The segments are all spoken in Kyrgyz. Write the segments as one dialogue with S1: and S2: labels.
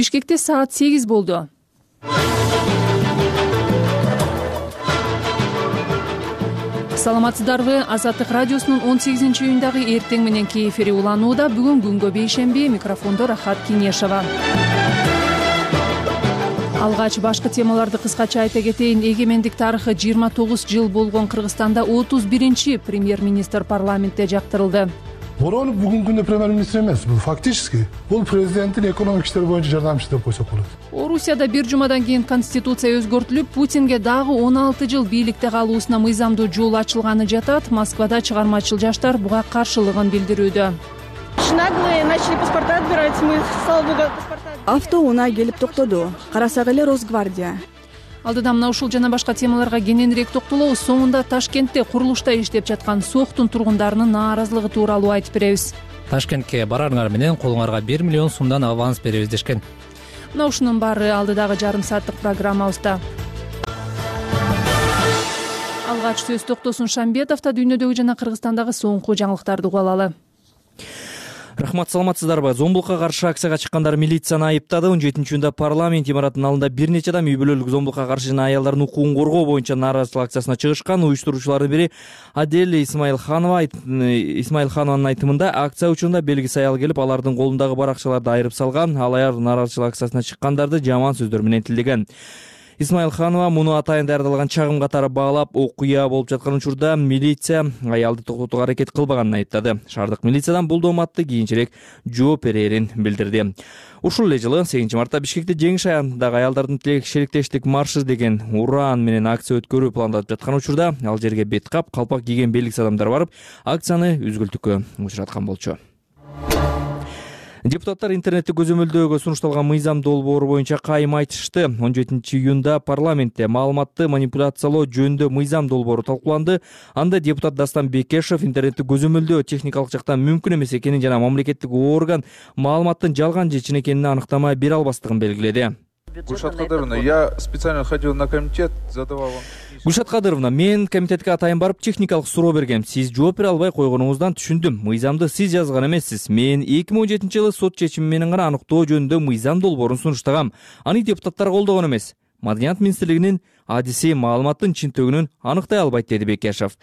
S1: Бишкекте саат 8 болду. Саламатсыздарбы? Азаттык радиосунун 18-июндагы эртең мененки эфири уланууда. Бүгүн күнгө бейшемби. Микрофондо Рахат Кинешова. Алгач башкы темаларды кыскача айта кетейин. Эгемендик тарыхы 29 жыл болгон Кыргызстанда 31-чи премьер-министр парламентте жактырылды.
S2: Боронов бүгүнкү күндө премьер-министр эмес, бул фактически бул президенттин экономик иштер боюнча жардамчысы деп койсок болот.
S1: Орусияда бир жумадан кийин конституция өзгөртүлүп, Путинге дагы 16 жыл бийликте калуусуна мыйзамдуу жол ачылганы жатат. Москвада чыгармачыл жаштар буга каршылыгын билдирүүдө.
S3: Наглые начали паспорта отбирать, мы, слава богу, паспорта.
S4: Автоунаа келип токтоду. Карасак эле Росгвардия.
S1: Алдыда мына ушул жана башка темаларга кененирээк токтолобуз. Соңунда Ташкентте курулушта иштеп жаткан СОХтун тургундарынын нааразылыгы тууралуу айтып беребиз.
S5: Ташкентке барарыңар менен колуңарга 1 миллион сомдон аванс беребиз дешкен.
S1: Мына ушунун баары алдыдагы жарым сааттык программабызда. Алгач сөз токтосун Шамбетовдо дүйнөдөгү жана Кыргызстандагы соңку жаңылыктарды угуп алалы.
S5: Рахмат, саламатсыздарбы? Зомбулукка каршы акцияга чыккандар милицияны айыптады. 17-июнда парламент имаратынын алдында бир нече адам үй бүлөлүк зомбулукка каршы жана аялдардын укугун коргоо боюнча нааразычылык акциясына чыгышкан. Уюштуруучулардын бири Адель Исмаилханованын айтымында акция учурунда белгисиз аял келип, алардын колундагы баракчаларды айырып салган. Ал аял нааразычылык акциясына чыккандарды жаман сөздөр менен тилдеген. Исмаилханова муну атайын даярдалган чагым катары баалап, окуя болуп жаткан учурда милиция аялды токтотууга аракет кылбаганын айыптады. Шаардык милициядан бул дооматты кийинчерээк жооп берерин билдирди. Ушул эле жылы 8-мартта Бишкекте жеңиш аягындагы аялдардын шериктештик маршы деген уран менен акция өткөрүү пландалып жаткан учурда ал жерге бет кап, калпак кийген белгисиз адамдар барып, акцияны үзгүлтүккө учураткан болчу. Депутаттар интернетти көзөмөлдөөгө сунушталган мыйзам долбоору боюнча кайым айтышты. 17-июнда парламентте маалыматты манипуляциялоо жөнүндө мыйзам долбоору талкууланды. Анда депутат Дастан Бекешев интернетти көзөмөлдөө техникалык жактан мүмкүн эмес экенин жана мамлекеттик орган маалыматтын жалган же чын экенине аныктама бере албастыгын белгиледи.
S6: Гульшат Кадыровна, я специально ходил на комитет, задавал вам...
S5: Гульшат Кадыровна, мен комитетке атайын барып техникалык суроо бергем. Сиз жооп бере албай койгонуңуздан түшүндүм. Мыйзамды сиз жазган эмессиз. Мен 2017-жылы сот чечими менен гана аныктоо жөнүндө мыйзам долбоорун сунуштагам. Аны депутаттар колдогон эмес. Маданият министрлигинин адиси маалыматтын чынтөгүнүн аныктай албайт, деди Бекешев.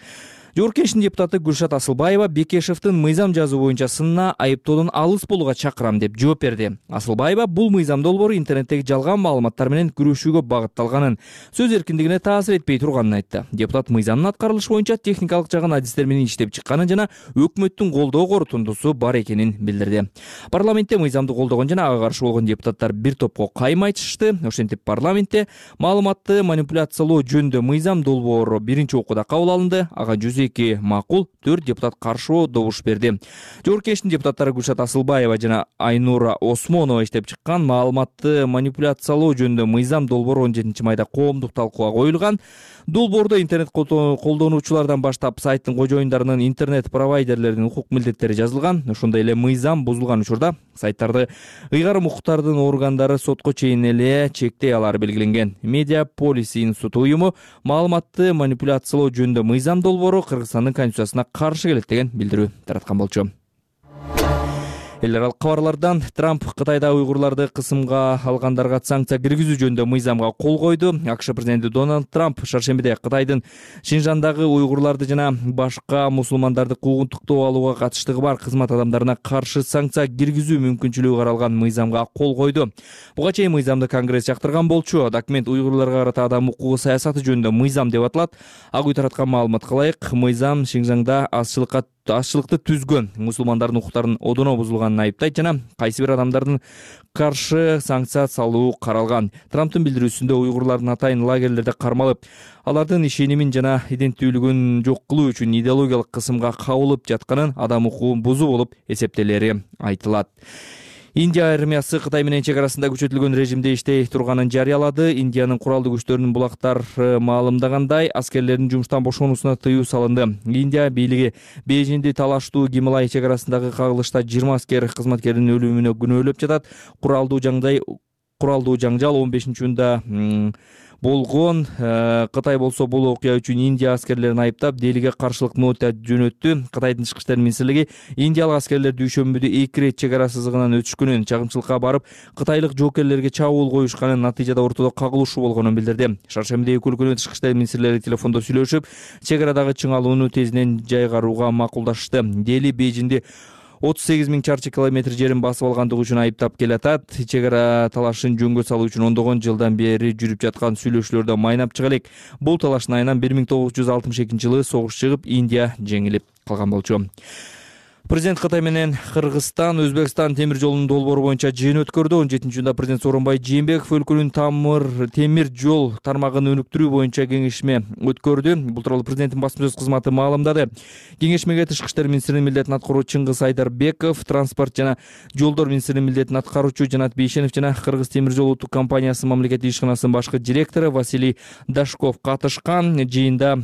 S5: Жогорку Кеңештин депутаты Гульшат Асылбаева Бекешевдин мыйзам жазуу боюнча сынына айыптоодон алыс болууга чакырам деп жооп берди. Асылбаева бул мыйзам долбоору интернеттеги жалган маалыматтар менен күрөшүүгө багытталганын, сөз эркиндигине таасир этпей турганын айтты. Депутат мыйзамдын аткарылышы боюнча техникалык жагын адистер менен иштеп чыкканын жана өкмөттүн колдоо корутундусу бар экенин билдирди. Парламентте мыйзамды колдогон жана ага каршы болгон депутаттар бир топко кайым айтышты. Ошентип парламентте маалыматты манипуляциялоо жөнүндө мыйзам долбоору биринчи окууда кабыл алынды. Ага 102 макул, 4 депутат каршы добуш берди. Жогорку Кеңештин депутаттары Гульшат Асылбаева жана Айнура Осмонова иштеп чыккан маалыматты манипуляциялоо жөнүндө мыйзам долбоору 17 майда коомдук талкууга коюлган. Долбоордо интернет колдонуучулардан баштап сайттын кожоюндарынын интернет провайдерлердин укук милдеттери жазылган. Ошондой эле мыйзам бузулган учурда сайттарды ыйгарым укуктардын органдары сотко чейин эле чектей алары белгиленген. Медиаполис институту уюму маалыматты манипуляциялоо жөнүндө мыйзам долбоору Кыргызстандын конституциясына каршы келет деген билдирүү тараткан болчу. Эл аралык кабарлардан Трамп Кытайда уйгурларды кысымга алгандарга санкция киргизүү жөнүндө мыйзамга кол койду. АКШ президенти Дональд Трамп шаршембиде Кытайдын Шинжандагы уйгурларды жана башка мусулмандарды куугунтуктоо алууга катыштыгы бар кызмат адамдарына каршы санкция киргизүү мүмкүнчүлүгү каралган мыйзамга кол койду. Буга чейин мыйзамды Конгресс жактырган болчу. Документ уйгурларга карата адам укугу саясаты жөнүндө мыйзам деп аталат. Ак үй тараткан маалыматка ылайык, мыйзам Шинжаңда азчылыкты түзгөн мусулмандардын укуктарынын одоно бузулганын айыптайт жана кайсы бир адамдардын каршы санкция салуу каралган. Трамптын билдирүүсүндө уйгурлардын атайын лагерлерде кармалып, алардын ишенимин жана иденттүүлүгүн жок кылуу үчүн идеологиялык кысымга кабылып жатканын, адам укугун бузуу болуп эсептелери айтылат. Индия армиясы Кытай менен чек арасында күчөтүлгөн режимде иштей турганын жарыялады. Индиянын куралдуу күчтөрүнүн булактар маалымдагандай аскерлердин жумуштан бошонуусуна тыюу салынды. Индия бийлиги Бейжиңди талаштуу Гималай чек арасындагы кагылышта 20 аскер кызматкердин өлүмүнө күнөөлөп жатат. Куралдуу жаңжал 15-июнда болгон. Кытай болсо бул окуя үчүн Индия аскерлерин айыптап, Делиге каршылык нота жөнөттү. Кытайдын тышкы иштер министрлиги индиялык аскерлер дүйшөмбүдө 2 ирет чек ара сызыгынан өтүшкөнүн, чагымчылыкка барып, кытайлык жоокерлерге чабуул коюшканын, натыйжада ортодо кагылышуу болгонун билдирди. Шаршембиде эки өлкөнүн тышкы иштер министрлери телефондо сүйлөшүп, чек арадагы чыңалууну тезинен жайгарууга макулдашты. Дели Бейжинди 38 000 чарчы километр жерин басып алгандыгы үчүн айыптап келатат. Чек ара талашын жөнгө салуу үчүн ондогон жылдан бери жүрүп жаткан сүйлөшүүлөрдө майнап чыга элек. Бул талаштын айынан 1962-жылы согуш чыгып, Индия жеңилип калган болчу. Президент Кытай менен Кыргызстан, Өзбекстан темир жолунун долбоору боюнча жыйын өткөрдү. 17-июнда президент Сооронбай Жээнбеков өлкөнүн темир жол тармагын өнүктүрүү боюнча кеңешме өткөрдү. Бул тууралуу президенттин басма сөз кызматы маалымдады. Кеңешмеге тышкы иштер министринин милдетин аткаруучу Чыңгыз Айдарбеков, транспорт жана жолдор министринин милдетин аткаруучу Жанат Бейшенов жана Кыргыз темир жол улуттук компаниясы мамлекеттик ишканасынын башкы директору Василий Дашков катышкан. Жыйында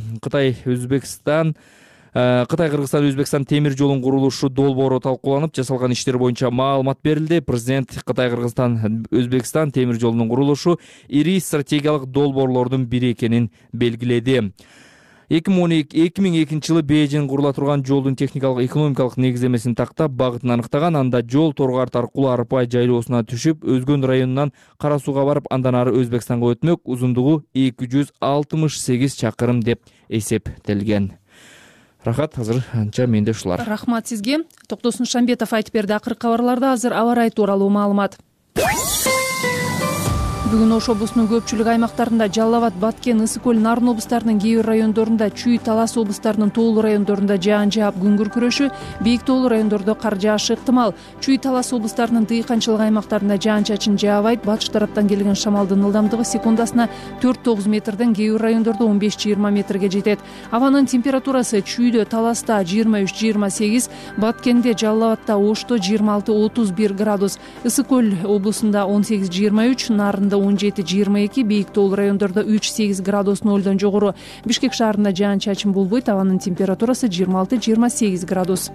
S5: Кытай-Кыргызстан, Өзбекстан темир жолунун курулушу долбоору талкууланып, жасалган иштер боюнча маалымат берилди. Президент Кытай-Кыргызстан, Өзбекстан темир жолунун курулушу ири стратегиялык долбоорлордун бири экенин белгиледи. 2002-жылы Бейжин курула турган жолдун техникалык экономикалык негиздемесин тактап, багытын аныктаган. Анда жол Торгарт аркылуу Арпай жайлоосуна түшүп, Өзгөн районунан Кара Сууга барып, андан ары Өзбекстанга өтмөк. Узундугу 268 чакырым деп эсептелген. Рахат, азыр анча менде ушулар.
S1: Рахмат сизге. Токтосун Шамбетов айтып берди. Акыркы кабарларда азыр аба ырайы тууралуу маалымат. Бүгүн Ош облусунун көпчүлүк аймактарында, Жалал Абад, Баткен, Ысык көл, Нарын облустарынын кээ бир райондорунда, Чүй, Талас облустарынын тоолуу райондорунда жаан жаап, күн күркүрөшү, бийик тоолуу райондордо кар жаашы ыктымал. Чүй, Талас облустарынын дыйканчылык аймактарында жаан-чачын жаабайт. Батыш тараптан келген шамалдын ылдамдыгы секундасына 4-9 метрден, кээ бир райондордо 15-20 метрге жетет. Абанын температурасы Чүйдө, Таласта 23-28, Баткенде, Жалал Абадта, Ошто 26-31 градус, Ысык көл облусунда 18-23, Нарында 17-22, бийик тоолуу райондордо 3-8 градус нөлдөн жогору. Бишкек шаарында жаан-чачын болбойт, абанын температурасы 26-28 градус.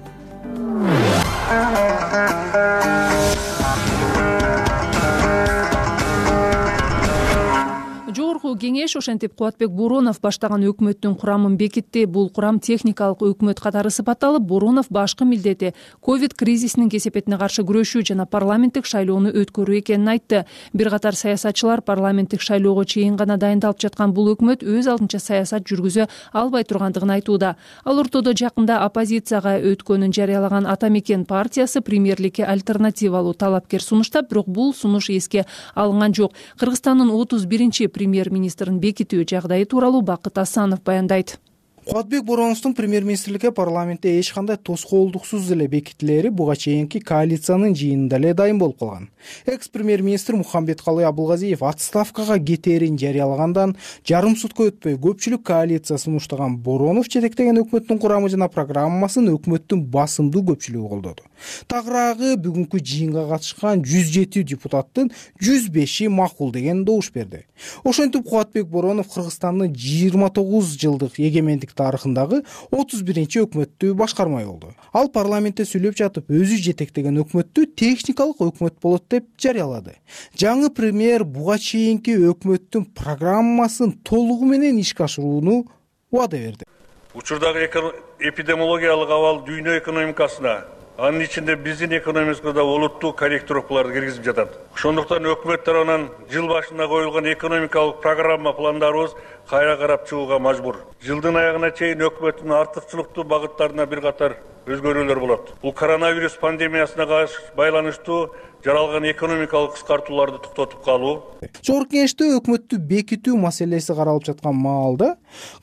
S1: Жогорку кеңеш ошентип Кубатбек Боронов баштаган өкмөттүн курамын бекитти. Бул курам техникалык өкмөт катары сыпатталып, Боронов башкы милдети ковид кризисинин кесепетине каршы күрөшүү жана парламенттик шайлоону өткөрүү экенин айтты. Бир катар саясатчылар парламенттик шайлоого чейин гана дайындалып жаткан бул өкмөт өз алдынча саясат жүргүзө албай тургандыгын айтууда. Ал ортодо жакында оппозицияга өткөнүн жарыялаган Ата Мекен партиясы премьерликке альтернативалуу талапкер сунуштап, бирок бул сунуш эске алынган жок. Кыргызстандын 31-чи премьер-министрин бекитүү жагдайы тууралуу Бакыт Асанов баяндайт.
S7: Кубатбек Бороновдун премьер-министрликке парламентте эч кандай тоскоолдуксуз эле бекитилери буга чейинки коалициянын жыйынында эле дайын болуп калган. Экс-премьер-министр Мухамбеткалый Абылгазиев отставкага кетээрин жарыялагандан жарым сутка өтпөй көпчүлүк коалиция сунуштаган Боронов жетектеген өкмөттүн курамы жана программасын өкмөттүн басымдуу көпчүлүгү колдоду. Тагыраагы бүгүнкү жыйынга катышкан 107 депутаттын 105и макул деген добуш берди. Ошентип Кубатбек Боронов Кыргызстандын 29 жылдык эгемендик тарыхындагы 31-чи өкмөттү башкармай болду. Ал парламентте сүйлөп жатып, өзү жетектеген өкмөттү техникалык өкмөт болот деп жарыялады. Жаңы премьер буга чейинки өкмөттүн программасын толугу менен ишке ашырууну убада берди.
S8: Учурдагы эпидемиологиялык абал дүйнө экономикасына, анын ичинде биздин экономикасына да олуттуу корректировкаларды киргизип жатат. Ошондуктан өкмөт тарабынан жыл башында коюлган экономикалык программа пландарыбыз кайра карап чыгууга мажбур. Жылдын аягына чейин өкмөттүн артыкчылыктуу багыттарына бир катар өзгөрүүлөр болот. Бул коронавирус пандемиясына байланыштуу жаралган экономикалык кыскартууларды токтотуп калуу.
S7: Жогорку кеңеште өкмөттү бекитүү маселеси каралып жаткан маалда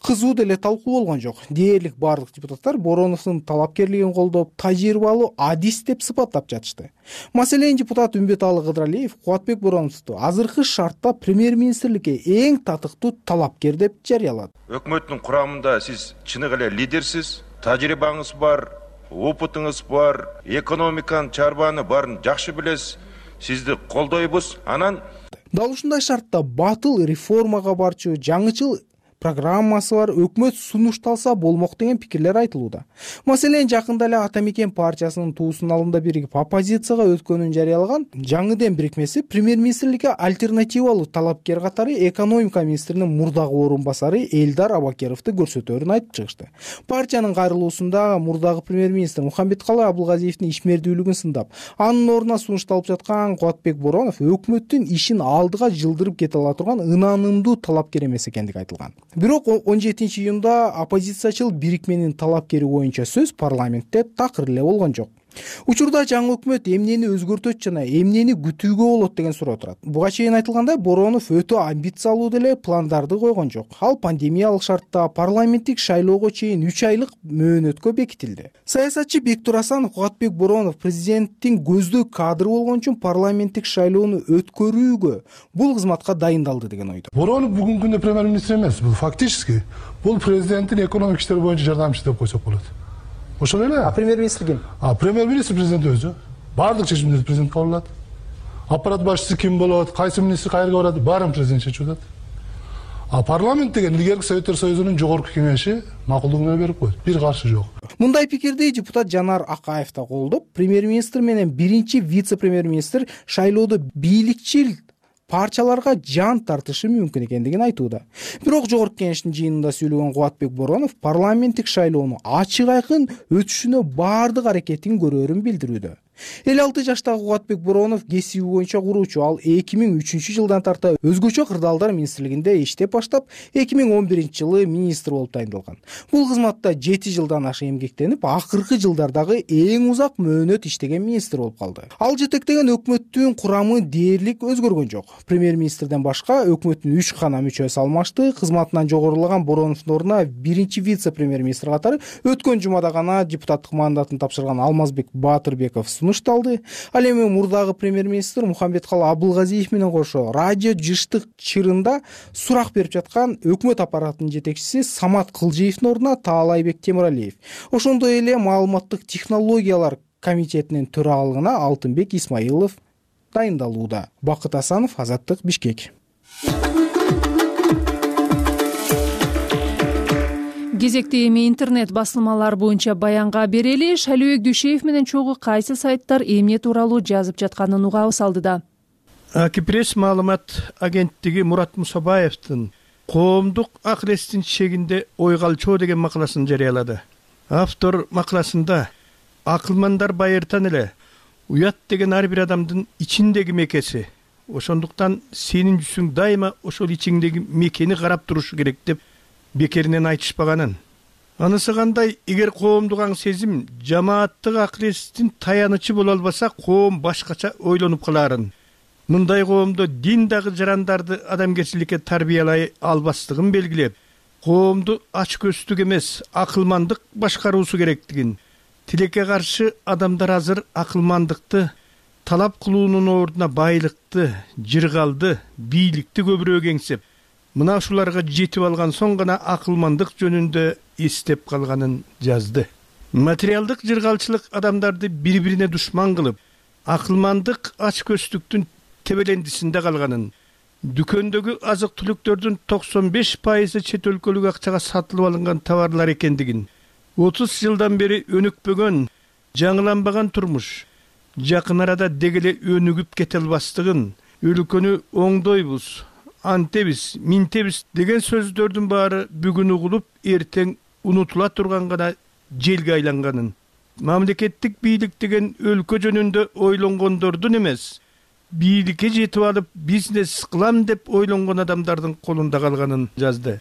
S7: кызуу деле талкуу болгон жок. Дээрлик бардык депутаттар Бороновдун талапкерлигин колдоп, тажрыйбалуу адис деп сыпаттап жатышты. Маселен, депутат Үмбеталы Кыдыралиев Кубатбек Бороновду азыркы шартта премьер-министрликке эң татыктуу талапкер деп жарыялады.
S9: Өкмөттүн курамында сиз чыныгы эле лидерсиз, тажрыйбаңыз бар, опытыңыз бар, экономиканын чарбаны барын жакшы билесиз, сизди колдойбуз. Анан
S7: дал ушундай шартта батыл реформага барчу, жаңычыл программасы бар, өкмөт сунушталса болмок деген пикирлер айтылууда. Маселен, жакында эле Ата Мекен партиясынын туусунун алдында биригип оппозицияга өткөнүн жарыялаган Жаңы Дем бирикмеси премьер-министрликке альтернативалуу талапкер катары экономика министринин мурдагы орун басары Элдар Абакеровду көрсөтөөрүн айтып чыгышты. Партиянын кайрылуусунда мурдагы премьер-министр Мухамбеткалый Абылгазиевдин ишмердүүлүгүн сындап, анын ордуна сунушталып жаткан Кубатбек Боронов өкмөттүн ишин алдыга жылдырып кете ала турган ынанымдуу талапкер эмес экендиги айтылган. Бирок 17-июнда оппозициячыл бирикменин талапкери боюнча сөз парламентте такыр эле болгон жок. Учурда жаңы өкмөт эмнени өзгөртөт жана эмнени күтүүгө болот деген суроо турат. Буга чейин айтылгандай, Боронов өтө амбициялуу деле пландарды койгон жок. Ал пандемиялык шартта парламенттик шайлоого чейин 3 айлык мөөнөткө бекитилди. Саясатчы Бектур Асанов Кубатбек Боронов президенттин көздөй кадры болгон үчүн парламенттик шайлоону өткөрүүгө бул кызматка дайындалды деген ойдо.
S2: Боронов бүгүнкү күндө премьер-министр эмес, бул фактически бул президенттин экономик иштер боюнча жардамчысы деп койсок болот. Ошол эле.
S7: Премьер-министр ким?
S2: Премьер-министр президент өзү. Баардык чечимдерди президент кабыл алат. Аппарат башчысы ким болот, кайсы министр кайерге барат, баарын президент чечип атат. Парламент деген илгерки Советтер Союзунун жогорку кеңеши макулдугуна берип койду. Бир каршы жок.
S7: Мындай пикирди депутат Жанар Акаев да колдоп, премьер-министр менен биринчи вице-премьер-министр шайлоодо бийликчил парчаларга жан тартышы мүмкүн экендигин айтууда. Бирок жогорку кеңештин жыйынында сүйлөгөн Кубатбек Боронов парламенттик шайлоону ачык айкын өтүшүнө баардык аракетин көрөөрүн билдирүүдө. 56 жаштагы Кубатбек Боронов кесиби боюнча куруучу. Ал 2003 жылдан тарта өзгөчө кырдаалдар министрлигинде иштеп баштап, 2011 жылы министр болуп тайындалган. Бул кызматта 7 жылдан ашык эмгектенип, акыркы жылдардагы эң узак мөөнөт иштеген министр болуп калды. Ал жетектеген өкмөттүн курамы дээрлик өзгөргөн жок. Премьер-министрден башка өкмөттүн 3 гана мүчөсү алмашты. Кызматынан жогорулаган Бороновдун ордуна биринчи вице-премьер-министр катары өткөн жумада гана депутаттык мандатын тапшырган Алмазбек Баатырбеков сунушталды. Ал эми мурдагы премьер-министр Мухамбеткалый Абылгазиев менен кошо радио жыштык чырында сурак берип жаткан өкмөт аппаратынын жетекчиси Самат Кылжиевдин ордуна Таалайбек Темиралиев. Ошондой эле маалыматтык технологиялар комитетинин төрагалыгына Алтынбек Исмаилов дайындалууда. Бакыт Асанов, Азаттык, Бишкек.
S1: Кезекте эми интернет басылмалар боюнча баянга берели. Шалибек Дүйшеев менен чогуу кайсы сайттар эмне тууралуу жазып жатканын угабыз алдыда.
S10: Акипресс маалымат агенттиги Мурат Мусабаевдин коомдук акыл-эстин чегинде ойгалчоо деген макаласын жарыялады. Автор макаласында акылмандар байыртан эле уят деген ар бир адамдын ичиндеги мекеси. Ошондуктан сенин жүзүң дайыма ошол ичиңдеги мекени карап турушу керек деп бекеринен айтышпаганын. Анысы кандай, эгер коомдук аң сезим жамааттык акыл-эстин таянычы боло албаса, коом башкача ойлонуп каларын. Мындай коомдо дин дагы жарандарды адамгерчиликке тарбиялай албастыгын белгилеп, коомду ачкөздүк эмес, акылмандык башкаруусу керектигин, тилекке каршы адамдар азыр акылмандыкты талап кылуунун ордуна байлыкты, жыргалды, бийликти көбүрөөк эңсеп, мына ушуларга жетип алган соң гана акылмандык жөнүндө эстеп калганын жазды. Материалдык жыргалчылык адамдарды бири-бирине душман кылып, акылмандык ачкөздүктүн тебелендисинде калганын, дүкөндөгү азык-түлүктөрдүн 95% чет өлкөлүк акчага сатылып алынган товарлар экендигин, 30 жылдан бери өнүкпөгөн, жаңыланбаган турмуш жакын арада дегеле өнүгүп кете албастыгын, өлкөнү оңдойбуз, антебиз, минтебиз деген сөздөрдүн баары бүгүн угулуп, эртең унутула турган гана желге айланганын, мамлекеттик бийлик деген өлкө жөнүндө ойлонгондордун эмес, бийликке жетип алып бизнес кылам деп ойлонгон адамдардын колунда калганын жазды.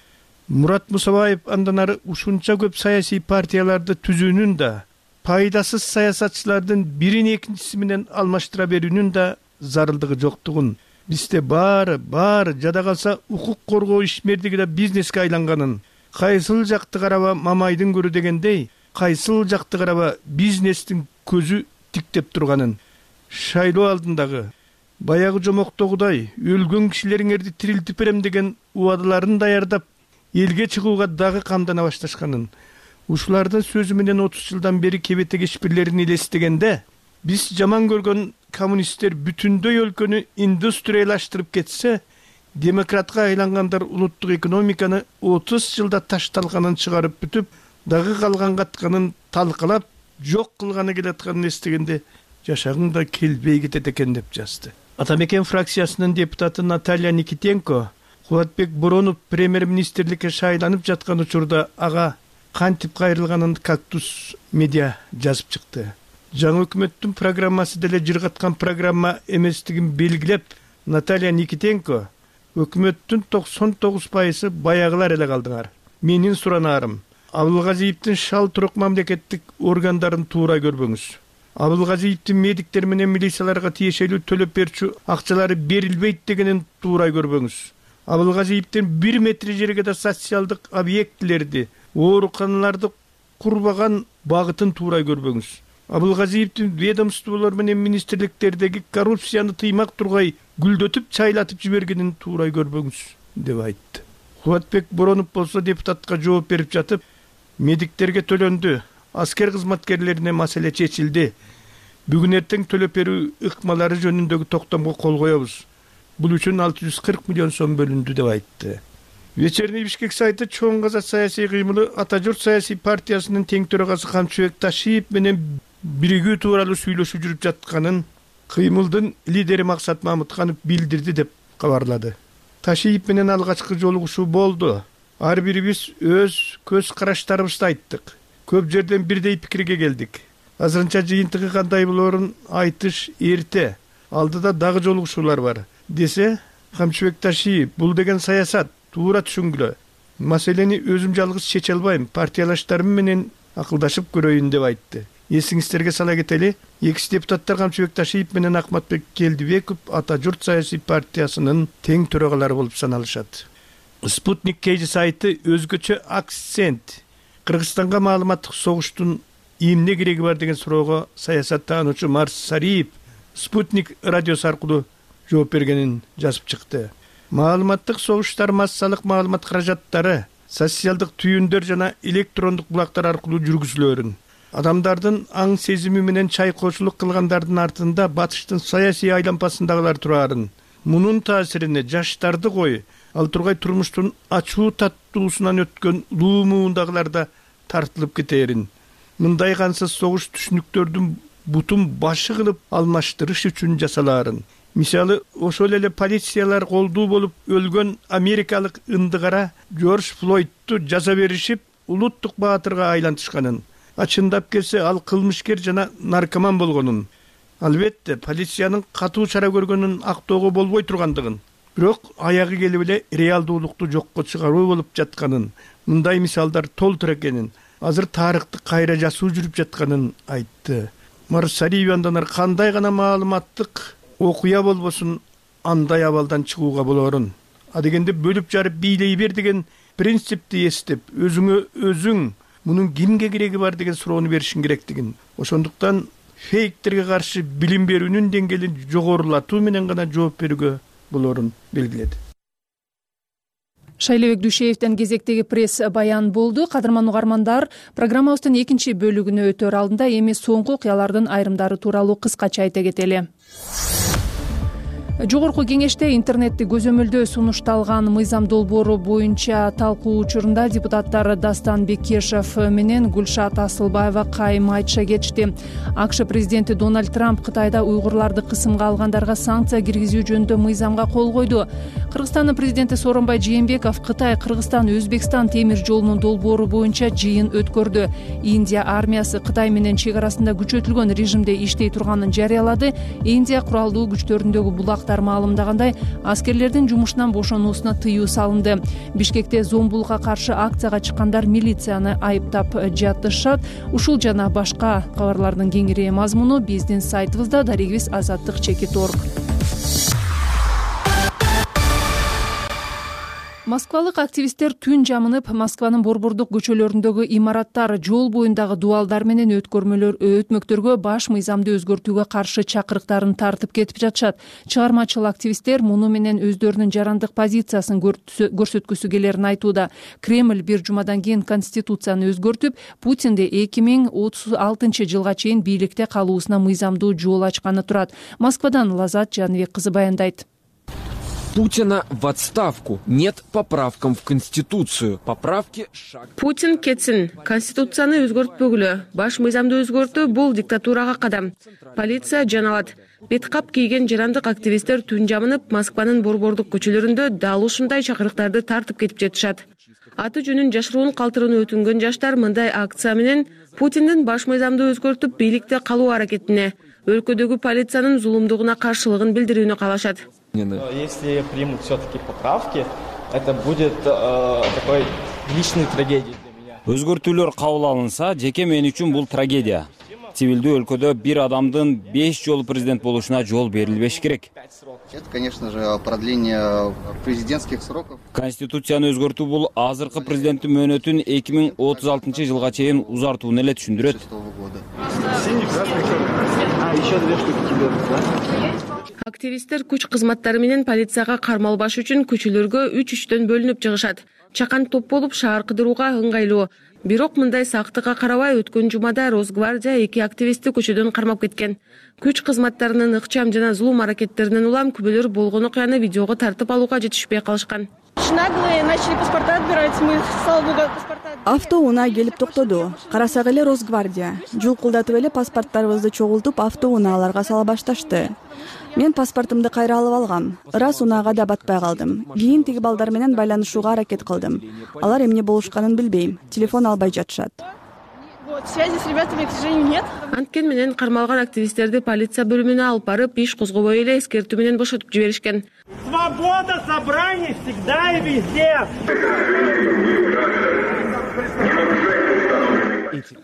S10: Мурат Мусабаев андан ары ушунча көп саясий партияларды түзүүнүн да, пайдасыз саясатчылардын бирин экинчиси менен алмаштыра берүүнүн да зарылдыгы жоктугун, бизде баары жада калса укук коргоо ишмердиги да бизнеске айланганын, кайсыл жакты караба мамайдын көрү дегендей, кайсыл жакты караба бизнестин көзү тиктеп турганын, шайлоо алдындагы баягы жомоктогудай өлгөн кишилериңерди тирилтип берем деген убадаларын даярдап, элге чыгууга дагы камдана башташканын, ушулардын сөзү менен 30 жылдан бери кебетек ишбирлерин элестегенде, биз жаман көргөн коммунисттер бүтүндөй өлкөнү индустриялаштырып кетсе, демократка айлангандар улуттук экономиканы 30 жылда ташталганын чыгарып бүтүп, дагы калган катканын талкалап, жок кылганы келатканын эстегенде жашагың да келбей кетет экен деп жазды. Атамекен фракциясынын депутаты Наталья Никитенко Кубатбек Боронов премьер-министрликке шайланып жаткан учурда ага кантип кайрылганын Кактус медиа жазып чыкты. Жаңы өкмөттүн программасы деле жыргаткан программа эместигин белгилеп, Наталья Никитенко өкмөттүн 99% баягылар эле калдыңар. Менин суранарым, Абылгазиевдин шал турук мамлекеттик органдарын туура көрбөңүз. Абылгазиевдин медиктер менен милицияларга тиешелүү төлөп берчү акчалары берилбейт дегенин туура көрбөңүз. Абылгазиевдин 1 метр жерге да социалдык объектилерди, ооруканаларды курбаган багытын туура көрбөңүз. Абылгазиевдин ведомстволор менен министрликтердеги коррупцияны тыймак тургай гүлдөтүп чайлатып жибергенин туура көрбөңүз деп айтты. Кубатбек Боронов болсо депутатка жооп берип жатып, медиктерге төлөндү, аскер кызматкерлерине маселе чечилди. Бүгүн эртең төлөп берүү ыкмалары жөнүндөгү токтомго кол коебуз. Бул үчүн 640 миллион сом бөлүндү деп айтты. Вечерний Бишкек сайты чоң каза саясий кыймылы Ата журт саясий партиясынын тең төрагасы Камчыбек Ташиев менен биригүү тууралуу сүйлөшүү жүрүп жатканын кыймылдын лидери Максат Мамытканов билдирди деп кабарлады. Ташиев менен алгачкы жолугушуу болду. Ар бирибиз өз көз караштарыбызды айттык. Көп жерден бирдей пикирге келдик. Азырынча жыйынтыгы кандай болоорун айтыш эрте. Алдыда дагы жолугушуулар бар. Десе, Камчыбек Ташиев, бул деген саясат, туура түшүнгүлө. Маселени өзүм жалгыз чече албайм, партиялаштарым менен акылдашып көрөйүн деп айтты. Эсиңиздерге сала кетели, экс депутаттар Камчыбек Ташиев менен Акматбек Келдибеков Ата журт саясий партиясынын тең төрагалары болуп саналышат. Спутник KG сайты өзгөчө акцент. Кыргызстанга маалыматтык согуштун эмне кереги бар деген суроого саясаттануучу Марс Сариев Спутник радиосу аркылуу жооп бергенин жазып чыкты. Маалыматтык согуштар массалык маалымат каражаттары, социалдык түйүндөр жана электрондук булактар аркылуу жүргүзүлөөрүн. Адамдардын аң сезими менен чайкоочулук кылгандардын артында батыштын саясий айлампасындагылар турарын. Мунун таасирине жаштарды кой, ал тургай турмуштун ачуу таттуусунан өткөн луу муундагылар да тартылып кетээрин. Мындай кансыз согуш түшүнүктөрдүн бутун башы кылып алмаштырыш үчүн жасалаарын. Мисалы, ошол эле полициялар колдуу болуп өлгөн америкалык ындыгара Джордж Флойдту жаза беришип, улуттук баатырга айлантышканын. Ачындап келсе, ал кылмышкер жана наркоман болгонун. Албетте, полициянын катуу чара көргөнүн актоого болбой тургандыгын, бирок аягы келип эле реалдуулукту жокко чыгаруу болуп жатканын, мындай мисалдар толтур экенин, азыр тарыхты кайра жазуу жүрүп жатканын айтты. Марсариев андан кандай гана маалыматтык окуя болбосун андай абалдан чыгууга болоорун. Адегенде бөлүп жарып бийлей бер деген принципти эстеп, өзүң мунун кимге кереги бар деген суроону беришиң керектигин. Ошондуктан фейктерге каршы билим берүүнүн деңгээлин жогорулатуу менен гана жооп берүүгө болоорун белгиледи.
S1: Шайлебек Дүйшеевден кезектеги пресс баян болду. Кадырман угармандар, программабыздын экинчи бөлүгүнө өтөр алдында эми соңку окуялардын айрымдары тууралуу кыскача айта кетели. Жогорку кеңеште интернетти көзөмөлдөө сунушталган мыйзам долбоору боюнча талкуу учурунда депутаттар Дастан Бекешев менен Гүлшат Асылбаева кайым айтыша кетишти. АКШ президенти Дональд Трамп Кытайда уйгурларды кысымга алгандарга санкция киргизүү жөнүндө мыйзамга кол койду. Кыргызстандын президенти Сооронбай Жээнбеков Кытай, Кыргызстан, Өзбекстан темир жолунун долбоору боюнча жыйын өткөрдү. Индия армиясы Кытай менен чек арасында күчөтүлгөн режимде иштей турганын жарыялады. Индия куралдуу күчтөрүндөгү булактар маалымдагандай, аскерлердин жумушунан бошонуусуна тыюу салынды. Бишкекте зомбулукка каршы акцияга чыккандар милицияны айыптап жатышат. Ушул жана башка кабарлардын кеңири мазмуну биздин сайтыбызда darigibis.azаттык.org. Москвалык активисттер түн жамынып, Москванын борбордук көчөлөрүндөгү имараттар, жол боюндагы дубалдар менен өтмөктөргө баш мыйзамды өзгөртүүгө каршы чакырыктарын тартып кетип жатышат. Чыгармачыл активисттер муну менен өздөрүнүн жарандык позициясын көрсөткүсү келерин айтууда. Кремль бир жумадан кийин конституцияны өзгөртүп, Путинди 2036 жылга чейин бийликте калуусуна мыйзамдуу жол ачканы турат. Москвадан Лазат Жаныбек кызы баяндайт.
S11: Путина в отставку. Нет поправкам в Конституцию. Поправки шаг.
S12: Путин кетсин. Конституцияны өзгөртпөгүлө. Баш мыйзамды өзгөртүү бул диктатурага кадам. Полиция жаналат. Беткап кийген жарандык активисттер түн жамынып Москванын борбордук көчөлөрүндө дал ушундай чакырыктарды тартып кетип жатышат. Аты жөнүн жашыруун калтырууну өтүнгөн жаштар мындай акция менен Путиндин баш мыйзамды өзгөртүп бийликте калуу аракетине, өлкөдөгү полициянын зулумдугуна каршылыгын билдирүүнү каалашат.
S13: Если примут все-таки поправки, это будет такой личной трагедией для меня.
S14: Өзгөртүүлөр кабыл алынса, жеке мен үчүн бул трагедия. Цивилдүү өлкөдө бир адамдын 5 жолу президент болушуна жол берилбеш керек.
S15: Это, конечно же, продление президентских сроков.
S14: Конституцияны өзгөртүү бул азыркы президенттин мөөнөтүн 2036 жылга чейин узартууну эле түшүндүрөт.
S12: Активисттер күч кызматтары менен полицияга кармалбаш үчүн көчөлөргө 3-3төн бөлүнүп чыгышат. Чакан топ болуп шаар кыдырууга ыңгайлуу. Бирок мындай сактыкка карабай өткөн жумада Росгвардия 2 активистти көчөдөн кармап кеткен. Күч кызматтарынын ыкчам жана зулум аракеттеринен улам күбөлөр болгон окуяны видеого тартып алууга жетишпей калышкан.
S3: Наглые начали паспорта отбирать. Мы, слава богу, паспорта.
S4: Автоунаа келип токтоду. Карасак эле Росгвардия. Жулкулдатып эле паспорттарыбызды чогултуп автоунааларга сала башташты. Мен паспортумду кайра алып алгам. Ырас унаага да батпай калдым. Кийин тиги балдар менен байланышууга аракет кылдым. Алар эмне болушканын билбейм. Телефон албай жатышат.
S3: Связи с ребятами, к сожалению, нет.
S12: Анткени менен кармалган активисттерди полиция бөлүмүнө алып барып, иш козгобой эле эскертүү менен бошотуп жиберишкен.
S16: Свобода собраний всегда и везде.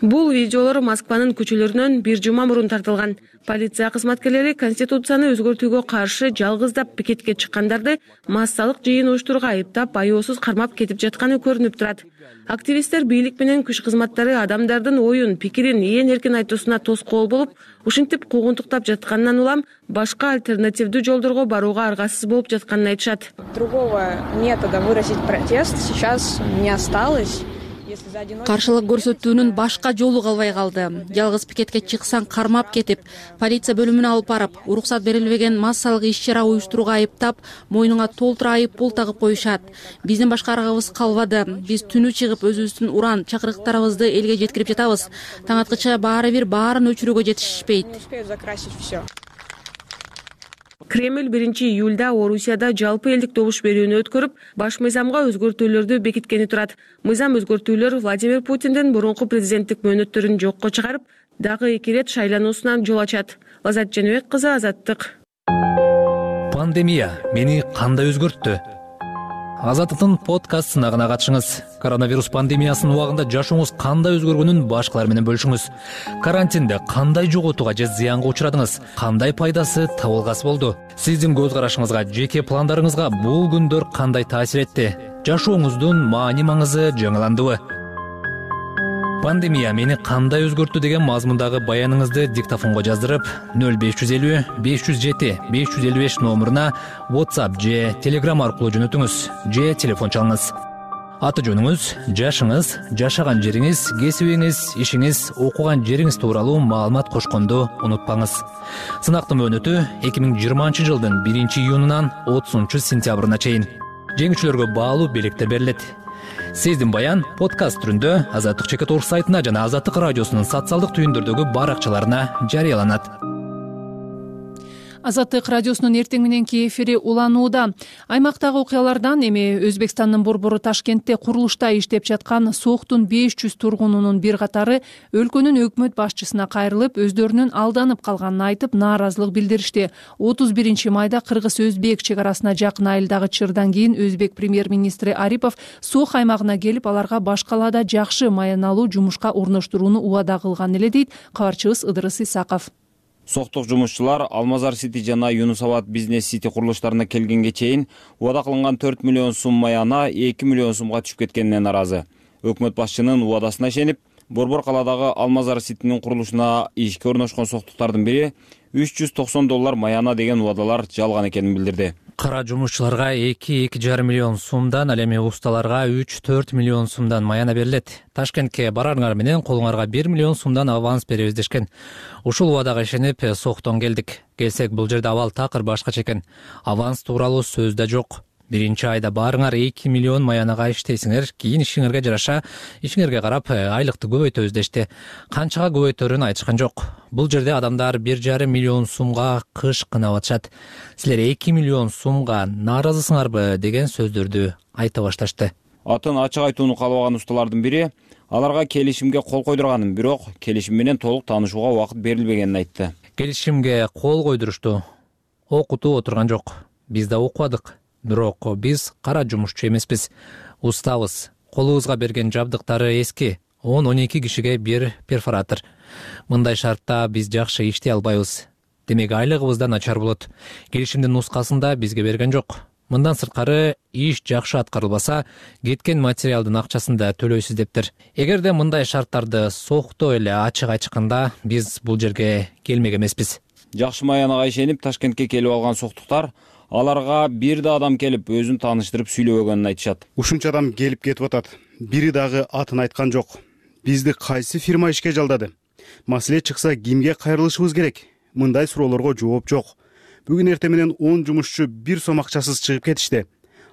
S12: Бул видеолор Москванын көчөлөрүнөн бир жума мурун тартылган. Полиция кызматкерлери Конституцияны өзгөртүүгө каршы жалгыздап пикетке чыккандарды массалык жыйын уюштурууга айыптап, аяосуз кармап кетип жатканы көрүнүп турат. Активисттер бийлик менен күч кызматтары адамдардын оюн, пикирин ээн эркин айтуусуна тоскоол болуп, ушинтип куугунтуктап жатканынан улам башка альтернативдүү жолдорго барууга аргасыз болуп жатканын айтышат.
S17: Другого метода выразить протест сейчас не осталось.
S18: Каршылык көрсөтүүнүн башка жолу калбай калды. Жалгыз пикетке чыксаң кармап кетип, полиция бөлүмүнө алып барып, уруксат берилбеген массалык иш-чара уюштурууга айыптап, мойнуңа толтура айып пул тагып коюшат. Биздин башка аргыбыз калбады. Биз түнү чыгып өзүбүздүн уран чакырыктарыбызды элге жеткирип жатабыз. Таң аткыча баарын өчүрүүгө жетишпейт.
S12: Кремль 1-июлда Орусияда жалпы элдик добуш берүүнү өткөрүп, баш мыйзамга өзгөртүүлөрдү бекиткени турат. Мыйзам өзгөртүүлөр Владимир Путиндин мурунку президенттик мөөнөттөрүн жокко чыгарып, дагы 2 рет шайлануусунан жол ачат. Лазат Жаныбек кызы, Азаттык.
S19: Пандемия мени кандай өзгөрттү? Азаттыктын подкаст сынагына катышыңыз. Коронавирус пандемиясынын убагында жашооңуз кандай өзгөргөнүн башкалар менен бөлүшүңүз. Карантинде кандай жоготууга же зыянга учурадыңыз? Кандай пайдасы, табылгасы болду? Сиздин көз карашыңызга, жеке пландарыңызга бул күндөр кандай таасир этти? Жашооңуздун маани-маңызы жаңыландыбы? Пандемия мени кандай өзгөрттү деген мазмундагы баяныңызды диктофонго жаздырып 0550 507 555 номуруна WhatsApp же Telegram аркылуу жөнөтүңүз же телефон чалыңыз. Аты жөнүңүз, жашыңыз, жашаган жериңиз, кесибиңиз, ишиңиз, окуган жериңиз тууралуу маалымат кошконду унутпаңыз. Сынактын мөөнөтү 2020 жылдын 1-июнунан 30-сентябрына чейин. Жеңүүчүлөргө баалуу белектер берилет. Сиздин баян подкаст түрүндө Азаттык.org сайтына жана Азаттык радиосунун социалдык түйүндөрдөгү баракчаларына жарыяланат.
S1: Азаттык радиосунун эртең мененки эфири уланууда. Аймактагы окуялардан эми Өзбекстандын борбору Ташкентте курулушта иштеп жаткан СОХтун 500 тургунунун бир катары өлкөнүн өкмөт башчысына кайрылып, өздөрүнүн алданып калганын айтып, нааразылык билдиришти. 31 майда кыргыз-өзбек чек арасына жакын айылдагы чырдан кийин өзбек премьер-министри Арипов СОХ аймагына келип, аларга баш калаада жакшы маяналуу жумушка орноштурууну убада кылган эле дейт кабарчыбыз Ыдырыс Исаков.
S14: СОХтук жумушчулар Алмазар Сити жана Юнусабад бизнес сити курулуштарына келгенге чейин убада кылынган 4 миллион сум маяна 2 миллион сумга түшүп кеткенине нааразы. Өкмөт башчынын убадасына ишенип, Борбор калаадагы Алмазар Ситинин курулушуна ишке орношкон СОХтуктардын бири $390 маяна деген убадалар жалган экенин билдирди.
S19: Кара жумушчуларга 2,5 миллион сомдон, ал эми усталарга 3-4 миллион сомдон маяна берилет. Ташкентке барарыңар менен колуңарга 1 миллион сомдон аванс беребиз дешкен. Ушул убадага ишенип Соктон келдик. Келсек, бул жерде абал такыр башкача экен. Аванс тууралуу сөз да жок. Биринчи айда барыңар 2 миллион маянага иштейсиңер, кийин ишиңерге жараша, ишиңерге карап айлыкты көбөйтөбүз дешти. Канчага көбөйтөрүн айтышкан жок. Бул жерде адамдар 1,5 миллион сомго кыш кынап атышат. Силер 2 миллион сомго нааразысыңарбы деген сөздөрдү айта башташты.
S14: Атын ачык айтууну каалабаган усталардын бири аларга келишимге кол койдурганын, бирок келишим менен толук таанышууга убакыт берилбегенин айтты.
S19: Келишимге кол койдурушту. Окутуп отурган жок. Биз да окубадык. Бирок биз кара жумушчу эмеспиз. Устабыз. Колубузга берген жабдыктары эски. 10-12 кишиге бир перфоратор. Мындай шартта биз жакшы иштей албайбыз. Демек айлыгыбыз да начар болот. Келишимдин нускасында бизге берген жок. Мындан сырткары иш жакшы аткарылбаса, кеткен материалдын акчасын да төлөйсүз дептир. Эгерде мындай шарттарды Сокто эле ачык айчканда, биз бул жерге келмек эмеспиз.
S14: Жакшы маянага ишенип Ташкентке келип алган соктуктар аларга бир да адам келип өзүн тааныштырып сүйлөбөгөнүн айтышат.
S20: Ушунча адам келип кетип атат. Бири дагы атын айткан жок. Бизди кайсы фирма ишке жалдады? Маселе чыкса кимге кайрылышыбыз керек? Мындай суроолорго жооп жок. Бүгүн эртең менен 10 жумушчу бир сом акчасыз чыгып кетишти.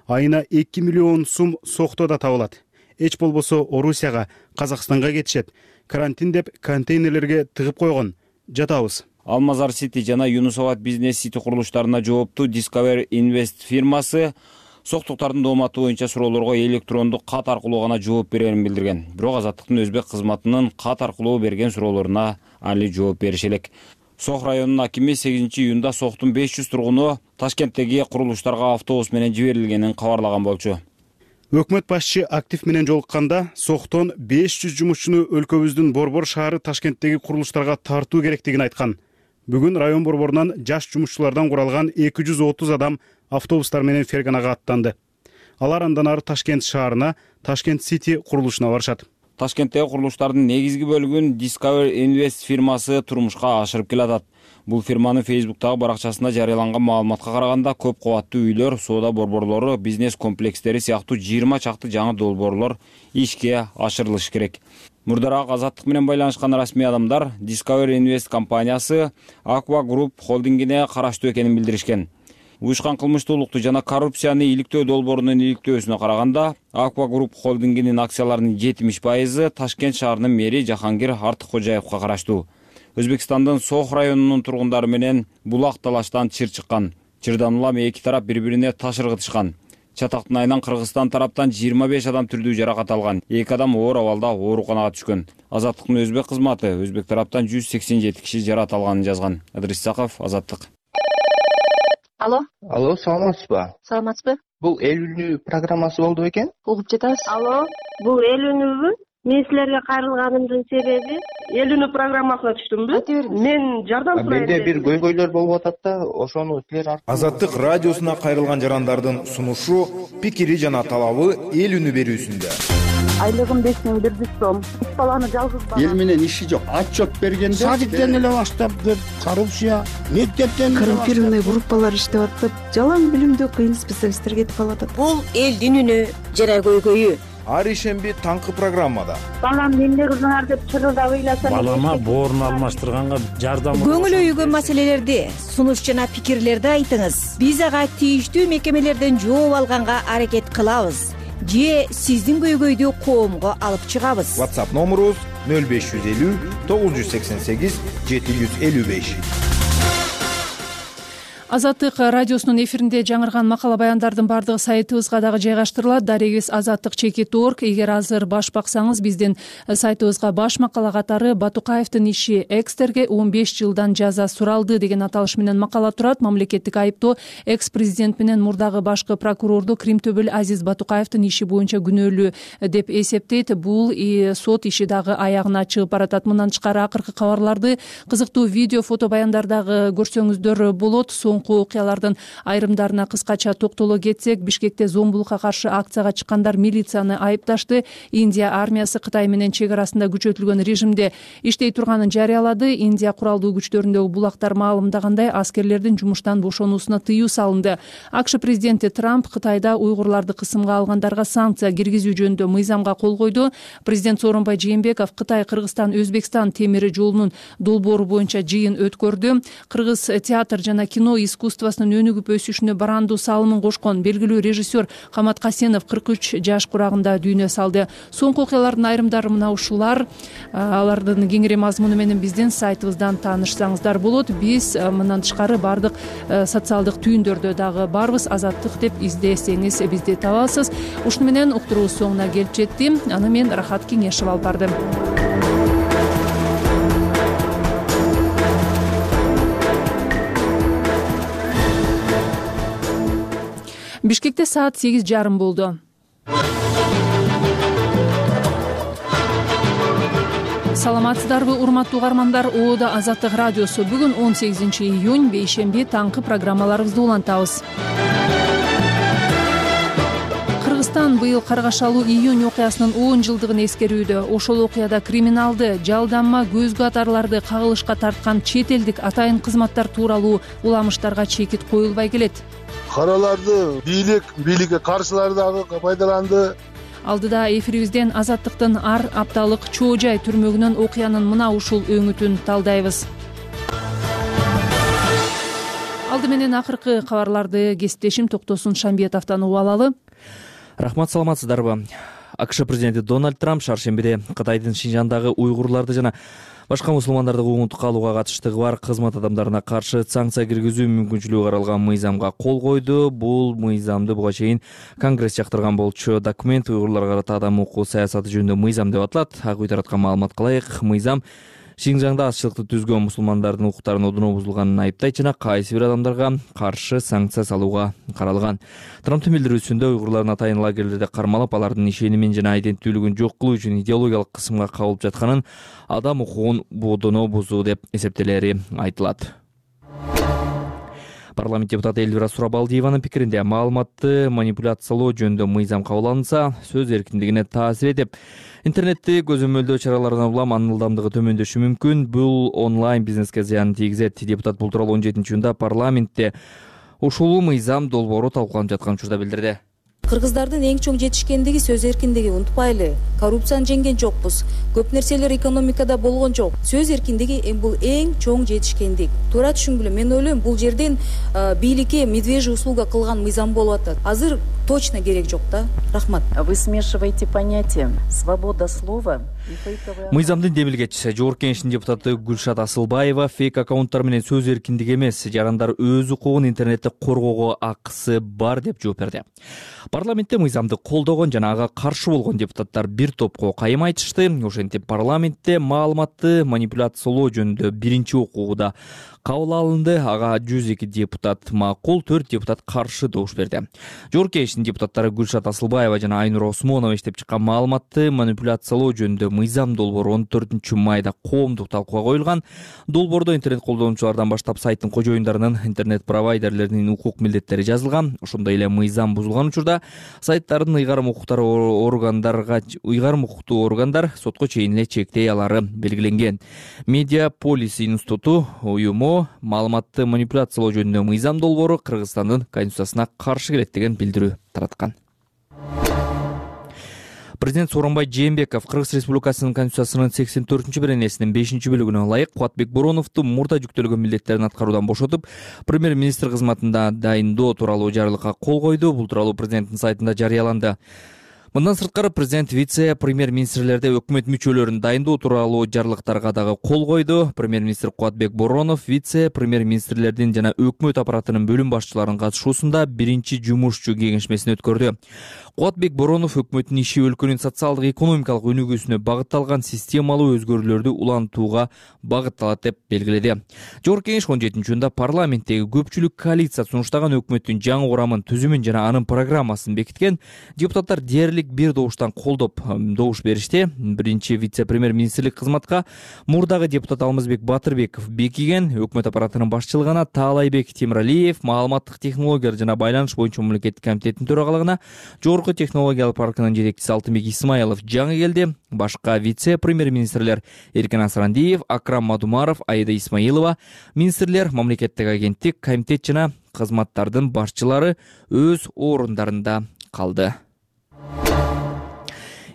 S20: Айына 2 миллион сом Соктода табылат. Эч болбосо Орусияга, Казакстанга кетишет. Карантин деп контейнерлерге тыгып койгон. Жатабыз.
S14: Алмазар Сити жана Юнусабад бизнес сити курулуштарына жооптуу Discover Invest фирмасы соктуктардын дооматы боюнча суроолорго электрондук кат аркылуу гана жооп берерин билдирген. Бирок Азаттыктын өзбек кызматынын кат аркылуу берген суроолоруна али жооп бериши элек. Сох районунун акими 8-июнда Соктун 500 тургуну Ташкенттеги курулуштарга автобус менен жиберилгенин кабарлаган болчу.
S20: Өкмөт башчы актив менен жолукканда Соктон 500 жумушчуну өлкөбүздүн Борбор шаары Ташкенттеги курулуштарга тартуу керектигин айткан. Бүгүн район борборунан жаш жумушчулардан куралган 230 адам автобустар менен Ферганага аттанды. Алар андан ары Ташкент шаарына, Ташкент Сити курулушуна барышат.
S14: Ташкенттеги курулуштардын негизги бөлүгүн Discover Invest фирмасы турмушка ашырып келатат. Бул фирманын Facebook'тагы баракчасында жарыяланган маалыматка караганда көп кабаттуу үйлөр, соода борборлору, бизнес комплекстери сыяктуу 20 чакты жаңы долбоорлор ишке ашырылышы керек. Мурдараак Азаттык менен байланышкан расмий адамдар Discover Invest компаниясы Aqua Group холдингине караштуу экенин билдиришкен. Уюшкан кылмыштуулукту жана коррупцияны иликтөө долбоорунун иликтөөсүнө караганда Aqua Group холдингинин акцияларынын 70% Ташкент шаарынын мэри Жахангир Артыккожаевка караштуу. Өзбекстандын Сох районунун тургундары менен булак талаштан чыр чыккан. Чырдан улам эки тарап бири-бирине таш ыргытышкан. Чатактын айынан Кыргызстан тараптан 25 адам түрдүү жаракат алган. 2 адам оор абалда ооруканага түшкөн. Азаттыктын өзбек кызматы өзбек тараптан 187 киши жаракат алганын жазган. Адрис Саков, Азаттык.
S21: Алло, саламатсызбы?
S22: Саламатсызбы?
S21: Бул эл үнү программасы болду бекен?
S22: Угуп жатабыз.
S21: Алло, бул эл үнүбү? Мен силерге кайрылганымдын себеби эл үнү программасына түштүмбү? Мен жардам сурайм. Менде бир көйгөйлөр болуп атат да, ошону силер
S23: Азаттык радиосуна кайрылган жарандардын сунушу, пикири жана талабы эл үнү берүүсүндө.
S21: Айлыгым 5100 сом. 3 баланы жалгыз.
S24: Эл менен иши жок. Отчет бергенде
S25: садиктен эле баштаптыр. Коррупция, мектептен
S26: коррумпированный группалар иштеп атып, жалаң билимдүү кыйын специалисттер кетип калып атат.
S21: Бул элдин үнү жана көйгөйү.
S23: Ар ишемби таңкы программада.
S21: Балам эмне кылыңар деп чырылдап ыйласам.
S25: Балама боорун алмаштырганга жардам.
S21: Көңүл өйгөн маселелерди, сунуш жана пикирлерди айтыңыз. Биз ага тийиштүү мекемелерден жооп алганга аракет кылабыз. Же сиздин көйгөйдү коомго алып чыгабыз.
S23: WhatsApp номерубуз 0550 988 755.
S1: Азаттык радиосунун эфиринде жаңырган макала баяндардын бардыгы сайтыбызга дагы жайгаштырылат. Дарегибиз azattik.org. Эгер азыр баш баксаңыз, биздин сайтыбызга баш макала катары Батукаевдин иши экстерге 15 жылдан жаза суралды деген аталыш менен макала турат. Мамлекеттик айыптоо экс-президент менен мурдагы башкы прокурорду Кримтөбөл Азиз Батукаевдин иши боюнча күнөөлүү деп эсептейт. Бул сот иши дагы аягына чыгып баратат. Мындан тышкары акыркы кабарларды, кызыктуу видео, фото баяндардагы көрсөңүздөр болот. соңку окуялардын айрымдарына кыскача токтоло кетсек, Бишкекте зомбулукка каршы акцияга чыккандар милицияны айыпташты. Индия армиясы Кытай менен чек арасында күчөтүлгөн режимде иштей турганын жарыялады. Индия куралдуу күчтөрүндөгү булактар маалымдагандай, аскерлердин жумуштан бошонуусуна тыюу салынды. АКШ президенти Трамп Кытайда уйгурларды кысымга алгандарга санкция киргизүү жөнүндө мыйзамга кол койду. Президент Сооронбай Жээнбеков Кытай, Кыргызстан, Өзбекстан темир жолунун долбоору боюнча жыйын өткөрдү. Кыргыз театр жана кино искусствосунун өнүгүп өсүшүнө барандуу салымын кошкон белгилүү режиссер Камат Касенов 43 жаш курагында дүйнө салды. Соңку окуялардын айрымдары мына ушулар. Алардын кеңири мазмуну менен биздин сайтыбыздан таанышсаңыздар болот. Биз мындан тышкары бардык социалдык түйүндөрдө дагы барбыз. Азаттык деп издесеңиз бизди табасыз. Ушуну менен уктуруубуз соңуна келип жетти. Аны мен Рахат Кеңешев алып бардым. Бишкекте саат 8:30 болду. Саламатсыздарбы, урматтуу угармандар? Оода Азаттык радиосу. Бүгүн 18 июнь, бейшемби, таңкы программаларыбызды улантабыз. Кыргызстан быйыл каргашалуу июнь окуясынын 10 жылдыгын эскерүүдө. Ошол окуяда криминалды, жалданма көзгө атарларды кагылышка тарткан чет элдик атайын кызматтар тууралуу уламыштарга чекит коюлбай келет.
S2: Караларды бийликке каршылар дагы пайдаланды.
S1: Алдыда эфирибизден Азаттыктын ар апталык Чоо Жай түрмөгүнөн окуянын мына ушул өңүтүн талдайбыз. Алды менен акыркы кабарларды кесиптешим Токтосун Шамбиетовдон угуп алалы.
S5: Рахмат, саламатсыздарбы? АКШ президенти Дональд Трамп шаршембиде Кытайдын Шинжандагы уйгурларды жана башка мусулмандарды куугунтукка алууга катыштыгы бар кызмат адамдарына каршы санкция киргизүү мүмкүнчүлүгү каралган мыйзамга кол койду. Бул мыйзамды буга чейин Конгресс жактырган болчу. Документ уйгурларга карата адам укугу саясаты жөнүндө мыйзам деп аталат. Ак үй тараткан маалымат кылайык. Мыйзам Шинжаңда азчылыкты түзгөн мусулмандардын укуктарынын одуно бузулганын айыптайт жана кайсы бир адамдарга каршы санкция салууга каралган. Трамптын билдирүүсүндө уйгурлардын атайын лагерлерде кармалап, алардын ишенимин жана айденттүүлүгүн жок кылуу үчүн идеологиялык кысымга кабылып жатканын, адам укугун бодоно бузуу деп эсептелери айтылат. Парламент депутаты Эльвира Сурабалдиеванын пикиринде, маалыматты манипуляциялоо жөнүндө мыйзам кабыл алынса, сөз эркиндигине таасир этип, интернетти көзөмөлдөө чараларынан улам анын ылдамдыгы төмөндөшү мүмкүн. Бул онлайн бизнеске зыянын тийгизет. Депутат бул тууралуу 17-июнда парламентте ушул мыйзам долбоору талкууланып жаткан учурда билдирди.
S6: Кыргыздардын эң чоң жетишкендиги сөз эркиндиги. Унутпайлы, коррупцияны жеңген жокпуз. Көп нерселер экономикада болгон жок. Сөз эркиндиги бул эң чоң жетишкендик. Туура түшүнгүлө, мен ойлойм, бул жерден бийликке медвежий услуга кылган мыйзам болуп атат. Азыр точно керек жок да. Рахмат.
S8: Вы смешиваете понятия. Свобода слова.
S5: Мыйзамдын демилгечиси, Жогорку Кеңештин депутаты Гүлшат Асылбаева фейк аккаунттар менен сөз эркиндиги эмес, жарандар өз укугун интернетте коргоого акысы бар деп жооп берди. Парламентте мыйзамды колдогон жана ага каршы болгон депутаттар бир топко кайым айтышты. Ошентип парламентте маалыматты манипуляциялоо жөнүндө биринчи окууда кабыл алынды. Ага 102 депутат макул, 4 депутат каршы добуш берди. Жогорку Кеңештин депутаттары Гүлшат Асылбаева жана Айнур Осмонова иштеп чыккан маалыматты манипуляциялоо жөнүндө мыйзам долбоору 14 майда коомдук талкууга коюлган. Долбоордо интернет колдонуучулардан баштап сайттын кожоюндарынын, интернет провайдерлеринин укук милдеттери жазылган. Ошондой эле мыйзам бузулган учурда сайттардын ыйгарым укуктуу органдар сотко чейин эле чектей алары белгиленген. Медиа Полис институту уюму маалыматты манипуляциялоо жөнүндө мыйзам долбоору Кыргызстандын конституциясына каршы келет деген билдирүү тараткан. Президент Сооронбай Жээнбеков Кыргыз Республикасынын Конституциясынын 84-беренесинин 5-бөлүгүнө ылайык Кубатбек Бороновду мурда жүктөлгөн милдеттерин аткаруудан бошотуп, премьер-министр кызматында дайындоо тууралуу жарлыкка кол койду. Бул тууралуу президенттин сайтында жарыяланды. Мындан сырткары президент вице-премьер-министрлерде өкмөт мүчөлөрүн дайындоо тууралуу жарлыктарга дагы кол койду. Премьер-министр Кубатбек Боронов вице-премьер-министрлердин жана өкмөт аппаратынын бөлүм башчыларынын катышуусунда биринчи жумушчу кеңешмесин өткөрдү. Кубатбек Боронов өкмөттүн иши өлкөнүн социалдык экономикалык өнүгүүсүнө багытталган системалуу өзгөрүүлөрдү улантууга багытталат деп белгиледи. Жогорку Кеңеш 17-июнда парламенттеги көпчүлүк коалиция сунуштаган өкмөттүн жаңы курамын түзүмүн жана анын программасын бекиткен. Депутаттар дээрлик бир добуштан колдоп добуш беришти. Биринчи вице-премьер-министрлик кызматка мурдагы депутат Алмазбек Батырбеков бекиген. Өкмөт аппаратынын башчылыгына Таалайбек Темиралиев, маалыматтык технологиялар жана байланыш боюнча мамлекеттик комитеттин төрагалыгына Жогорку технологиялык паркынын жетекчиси Алтынбек Исмаилов жаңы келди. Башка вице-премьер-министрлер Эркин Асрандиев, Акрам Мадумаров, Аида Исмаилова, министрлер, мамлекеттик агенттик, комитет жана кызматтардын башчылары өз орундарында калды.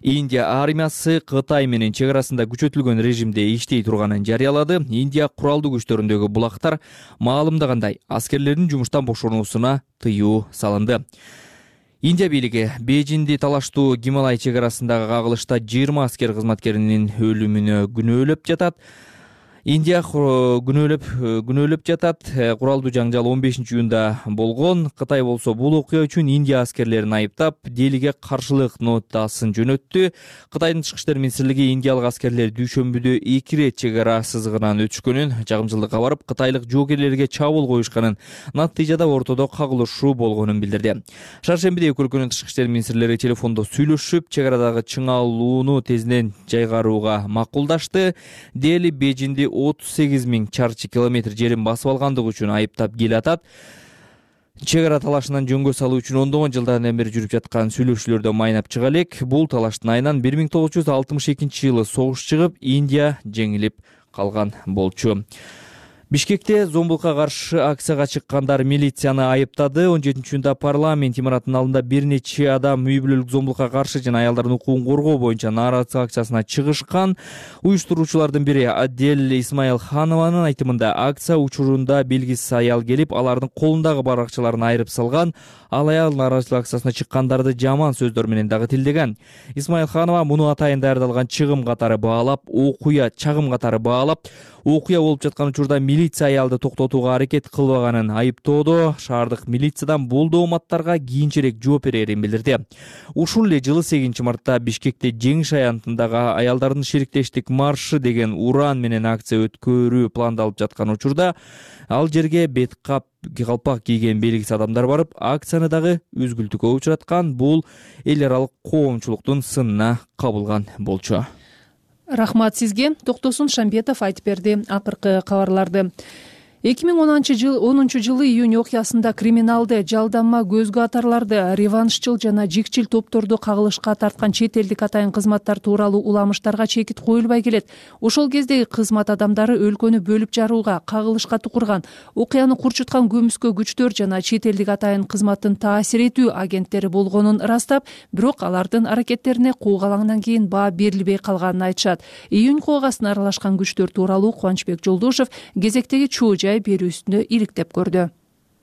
S5: Индия армиясы Кытай менен чек арасында күчөтүлгөн режимде иштей турганын жарыялады. Индия куралдуу күчтөрүндөгү булактар маалымдагандай аскерлердин жумуштан бошонуусуна тыюу салынды. Индия бийлиги Бейжинди талаштуу Гималай чек арасындагы кагылышта 20 аскер кызматкеринин өлүмүнө күнөөлөп жатат. Индия күнөөлөп жатат. Куралдуу жаңжал 15-июнда болгон. Кытай болсо бул окуя үчүн Индия аскерлерин айыптап, делиге каршылык нотасын жөнөттү. Кытайдын тышкы иштер министрлиги индиялык аскерлер дүйшөмбүдө 2 ирет чек ара сызыгынан өтүшкөнүн, жагымчылыкка барып, кытайлык жоокерлерге чабуул коюшканын, натыйжада ортодо кагылышуу болгонун билдирди. Шаршембиде эки өлкөнүн тышкы иштер министрлери телефондо сүйлөшүп, чек арадагы чыңалууну тезинен жайгарууга макулдашты. Дели Бейжинди 38 000 чарчы километр жерин басып алгандыгы үчүн айыптап келатат. Чек ара талашынан жөнгө салуу үчүн ондогон жылдан бери жүрүп жаткан сүйлөшүүлөрдө майнап чыга элек. Бул талаштын айынан 1962-жылы согуш чыгып, Индия жеңилип калган болчу. Бишкекте зомбулукка каршы акцияга чыккандар милицияны айыптады. 17-июнда парламент имаратынын алдында бир нече адам үй бүлөлүк зомбулукка каршы жана аялдардын укугун коргоо боюнча нааразычылык акциясына чыгышкан. Уюштуруучулардын бири Адель Исмаилханованын айтымында акция учурунда белгисиз аял келип, алардын колундагы баракчаларын айырып салган. Ал аял нааразычылык акциясына чыккандарды жаман сөздөр менен дагы тилдеген. Исмаилханова муну атайын даярдалган чагым катары баалап, окуя болуп жаткан учурда милиция аялды токтотууга аракет кылбаганын айыптоодо шаардык милициядан бул дооматтарга кийинчерээк жооп берерин билдирди. Ушул эле жылы 8 мартта Бишкекте Жеңиш аянтындагы аялдардын шериктештик маршы деген уран менен акция өткөрүү пландалып жаткан учурда ал жерге бет калпак кийген белгисиз адамдар барып, акцияны дагы үзгүлтүккө учураткан. Бул эл аралык коомчулуктун сынына кабылган болчу.
S1: Рахмат сизге. Токтосун Шамбетов айтып берди акыркы кабарларды. 2010-жылы июнь окуясында криминалды, жалданма, көзгө атарларды, реваншчыл жана жикчил топторду кагылышка тарткан чет элдик атайын кызматтар тууралуу уламыштарга чекит коюлбай келет. Ошол кездеги кызмат адамдары өлкөнү бөлүп жарууга, кагылышка тукурган, окуяны курчуткан көмүскө күчтөр жана чет элдик атайын кызматтын таасир этүү агенттери болгонун ырастап, бирок алардын аракеттерине куугалаңдан кийин баа берилбей калганын айтышат. Июнь куугасына аралашкан күчтөр тууралуу Кубанычбек Жолдошов кезектеги чуу жай берүүсүндө иликтеп көрдү.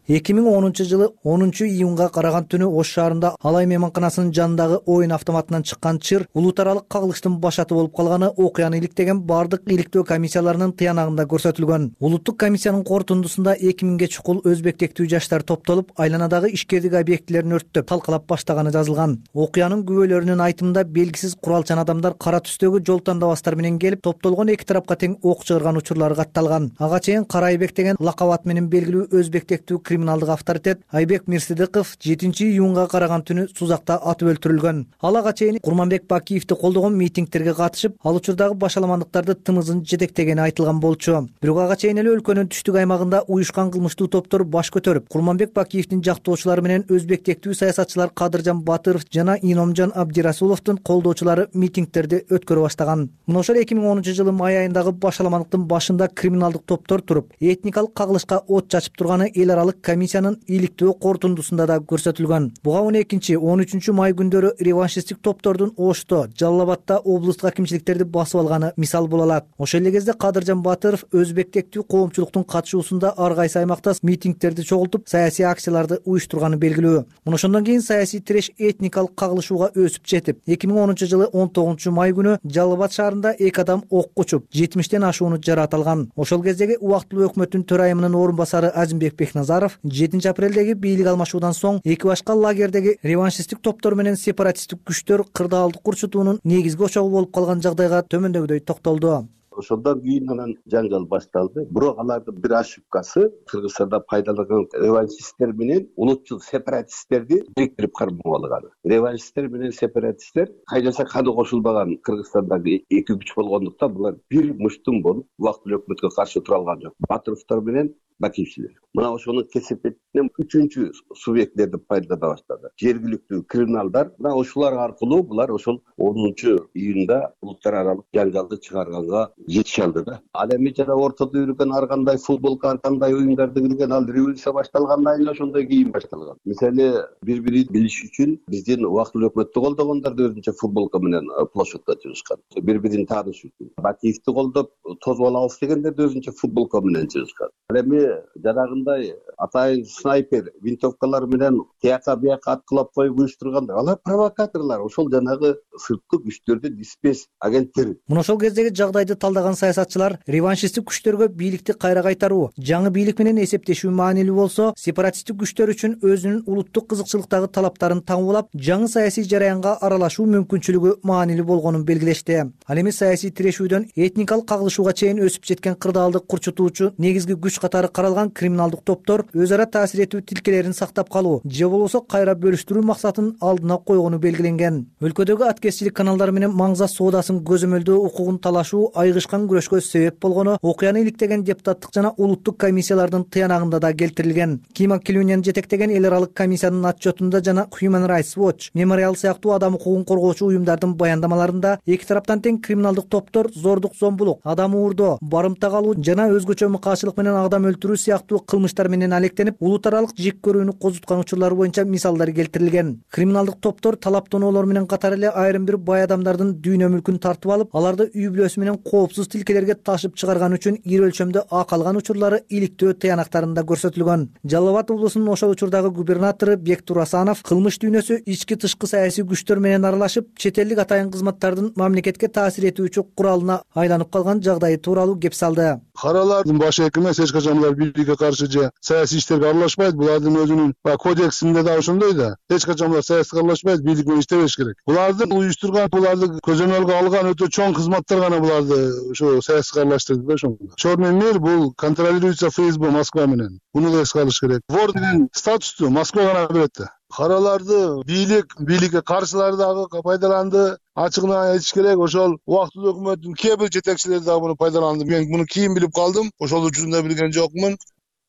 S7: 2010-жылы 10-июнга караган түнү Ош шаарында Алай мейманканасынын жанындагы оюн автоматынан чыккан чыр улут аралык кагылыштын башаты болуп калганы окуяны иликтеген бардык иликтөө комиссияларынын тыянагында көрсөтүлгөн. Улуттук комиссиянын корутундусунда 2000ге чукул өзбек тектүү жаштар топтолуп, айланадагы ишкердик объектилерин өрттөп, талкалап баштаганы жазылган. Окуянын күбөлөрүнүн айтымында белгисиз куралчан адамдар кара түстөгү жол тандабастар менен келип, топтолгон эки тарапка тең ок чыгарган учурлары катталган. Ага чейин Кара Айбек деген лакап ат менен белгилүү өзбек тектүү криминалдык авторитет Айбек Мирсидыков 7-июнга караган түнү Сузакта атып өлтүрүлгөн. Ал ага чейин Курманбек Бакиевди колдогон митингтерге катышып, ал учурдагы башаламандыктарды тымызын жетектегени айтылган болчу. Бирок ага чейин эле өлкөнүн түштүк аймагында уюшкан кылмыштуу топтор баш көтөрүп, Курманбек Бакиевдин жактоочулары менен өзбек тектүү саясатчылар Кадыржан Батыров жана Иномжон Абдирасуловдун колдоочулары митингтерди өткөрө баштаган. Мына ошол 2010-жылы май айындагы башаламандыктын башында криминалдык топтор туруп, этникалык кагылышка от чачып турганы эл аралык комиссиянын иликтөө корутундусунда да көрсөтүлгөн. Буга 12-13 май күндөрү реваншисттик топтордун Ошто, Жалал Абадта облустук акимчиликтерди басып алганы мисал боло алат. Ошол эле кезде Кадыржан Батыров өзбек тектүү коомчулуктун катышуусунда ар кайсы аймакта митингтерди чогултуп, саясий акцияларды уюштурганы белгилүү. Мына ошондон кийин саясий тиреш этникалык кагылышууга өсүп жетип, 2010-жылы 19 май күнү Жалал Абад шаарында эки адам окко учуп, 70тен ашууну жараат алган. Ошол кездеги убактылуу өкмөттүн төрайымынын орун басары Азимбек Бекназаров Асанов 7 апрелдеги бийлик алмашуудан соң эки башка лагердеги реваншисттик топтор менен сепаратисттик күчтөр кырдаалдык курчутуунун негизги очогу болуп калган жагдайга төмөндөгүдөй токтолду.
S9: Ошондон кийин анан жаңгал башталды. Бирок алардын бир ошибкасы Кыргызстанда пайдаланган реваншисттер менен улутчул сепаратисттерди бириктирип кармап алган. Реваншисттер менен сепаратисттер кайдаса каны кошулбаган Кыргызстандагы эки күч болгондуктан булар бир муштум болуп убактылуу өкмөткө каршы тура алган жок. Батыровдор менен Бакиевчилер. Мына ошонун кесепетинен үчүнчү субъекттерди пайдалана баштады. Жергиликтүү криминалдар. Мына ошолор аркылуу булар ошол 10-июнда улуттар аралык жаңгалды чыгарганга жетише алды да. Ал эми жана ортодо жүргөн ар кандай футболко, ар кандай оюндарды кирген ал революция башталгандан кийин ошондой кийин башталган. Мисалы бири-бирин билиш үчүн биздин убактылуу өкмөттү колдогондор да өзүнчө футболко менен площадька чыгышкан. Бири-бирин тааныш үчүн. Бакиевди колдоп тозуп алабыз дегендер да өзүнчө футболко менен чыгышкан. Ал эми жанагындай атайын снайпер винтовкалар менен тияка бияка аткылап коюп уюштургандар алар провокаторлор, ошол жанагы сырткы күчтөрдүн спец агенттери.
S7: Мына ошол кездеги жагдайды талдаган саясатчылар реваншисттик күчтөргө бийликти кайра кайтаруу, жаңы бийлик менен эсептешүү маанилүү болсо, сепаратисттик күчтөр үчүн өзүнүн улуттук кызыкчылыктагы талаптарын таңуулап, жаңы саясий жараянга аралашуу мүмкүнчүлүгү маанилүү болгонун белгилешти. Ал эми саясий тирешүүдөн этникалык кагылышууга чейин өсүп жеткен кырдаалды курчутуучу негизги күч катары каралган криминалдык топтор өз ара таасир этүү тилкелерин сактап калуу же болбосо кайра бөлүштүрүү максатын алдына койгону белгиленген. Өлкөдөгү аткезчилик каналдары менен маңза соодасын көзөмөлдөө укугун талашуу айгышкан күрөшкө себеп болгону окуяны иликтеген депутаттык жана улуттук комиссиялардын тыянагында да келтирилген. Кима Килюнян жетектеген эл аралык комиссиянын отчетунда жана Human Rights Watch, Memorial сыяктуу адам укугун коргоочу уюмдардын баяндамаларында эки тараптан тең криминалдык топтор зордук, зомбулук, адам уурдоо, барымта калуу жана өзгөчө мыкаачылык менен адам өлтүрүү сыяктуу кылмыштар менен алектенип, улут аралык жек көрүүнү козуткан учурлар боюнча мисалдар келтирилген. Криминалдык топтор талаптоолор менен катары эле айрым бир бай адамдардын дүйнө мүлкүн тартып алып, аларды үй бүлөсү менен коопсуз тилкелерге ташып чыгарган үчүн ири өлчөмдө акы алган учурлары иликтөө тыянактарында көрсөтүлгөн. Жалал Абад облусунун ошол учурдагы губернатору Бектур Асанов кылмыш дүйнөсү ички-тышкы саясий күчтөр менен аралашып, чет элдик атайын кызматтардын мамлекетке таасир этүүчү куралына айланып калган жагдайы тууралуу кеп салды.
S2: Каралардын башы эки эмес, эч качан булар бийликке каршы же саясий иштерге аралашпайт. Булардын өзүнүн кодексинде да ошондой да. Эч качан булар саясатка аралашпайт, бийлик менен иштебеш керек. Булардын уюштурган, буларды көзөмөлгө алган өтө чоң кызматтар гана буларды ошо саясатка аралаштырды да ошондо. Черный мир бул контролируется ФСБ Москва менен. Буну да эске алыш керек. Вор деген статусту Москва гана берет да. Караларды бийликке каршылар дагы пайдаланды. Ачыгын айтыш керек, ошол убактылуу өкмөттүн кээ бир жетекчилери дагы буну пайдаланды. Мен муну кийин билип калдым. Ошол учурунда билген жокмун.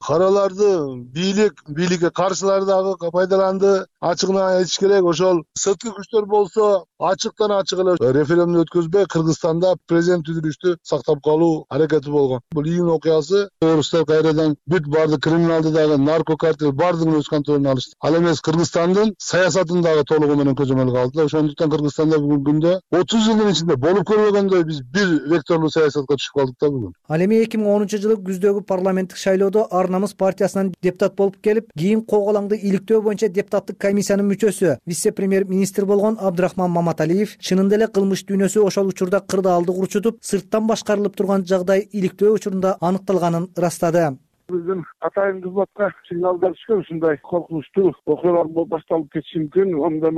S2: Караларды бийликке каршылар дагы пайдаланды. Ачыгын айтыш керек, ошол сырткы күчтөр болсо ачыктан ачык эле референдум өткөзбөй Кыргызстанда президент түзүлүштү сактап калуу аракети болгон. Бул июнь окуясы орустар кайрадан бүт баардык криминалды дагы наркокартел баардыгын өз контролуна алышты. Ал эмес Кыргызстандын саясатын дагы толугу менен көзөмөлгө алды. Ошондуктан Кыргызстанда бүгүнкү күндө 30 жылдын ичинде болуп көрбөгөндөй биз бир векторлуу саясатка түшүп калдык да бүгүн.
S7: Ал эми 2010-жылы күздөгү парламенттик шайлоодо Ар намыс партиясынан депутат болуп келип, кийин Коголаңды иликтөө боюнча депутаттык комиссиянын мүчөсү, вице-премьер-министр болгон Абдрахман Маматалиев чынында эле кылмыш дүйнөсү ошол учурда кырдаалды курчутуп, сырттан башкарылып турган жагдай иликтөө учурунда аныкталганын ырастады.
S25: Биздин атайын кызматка сигналдар түшкөн, ушундай коркунучтуу окуялар башталып кетиши мүмкүн, ондай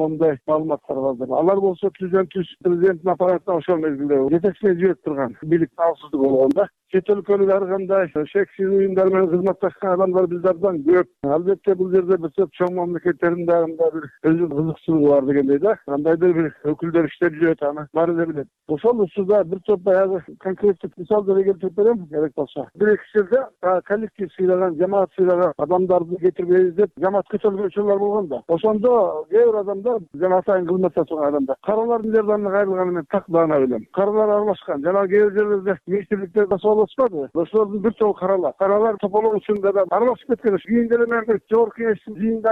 S25: маалыматтар бар. Алар болсо президенттин аппаратына ошол мезгилде жетекчине жиберип турган, бийлик таапсыздык болгондо. Чет өлкөлүк ар кандай шексиз уюмдар менен кызматташкан адамдар bizlerden көп. Албетте бул жерде биз чоң мамлекеттердин дагы бир өзүнүн кызыкчылыгы бар дегендей да. Кандайдыр бир өкүлдөр иштеп жүрөт, аны баары эле билет. Ошол учурда бир топ баягы конкреттик мисалдар келтирип берем, керек болсо. Бир-эки жерде коллектив сыйлаган, жамаат сыйлаган адамдарды кетирбейбиз деп жамаат көтөргөнчүлөр болгон да. Ошондо кээ бир адамдар жана атайын кызматта турган адамдар каралардын жардамына кайрылганы менен так даана билем. Каралар аралашкан. Жана кээ бир жерлерде министрликтерде соолошпады. Ошолордун бир тобу каралар тополоо учурунда да аралашып кеткен. Кийин деле мен жогорку кеңештин жыйынында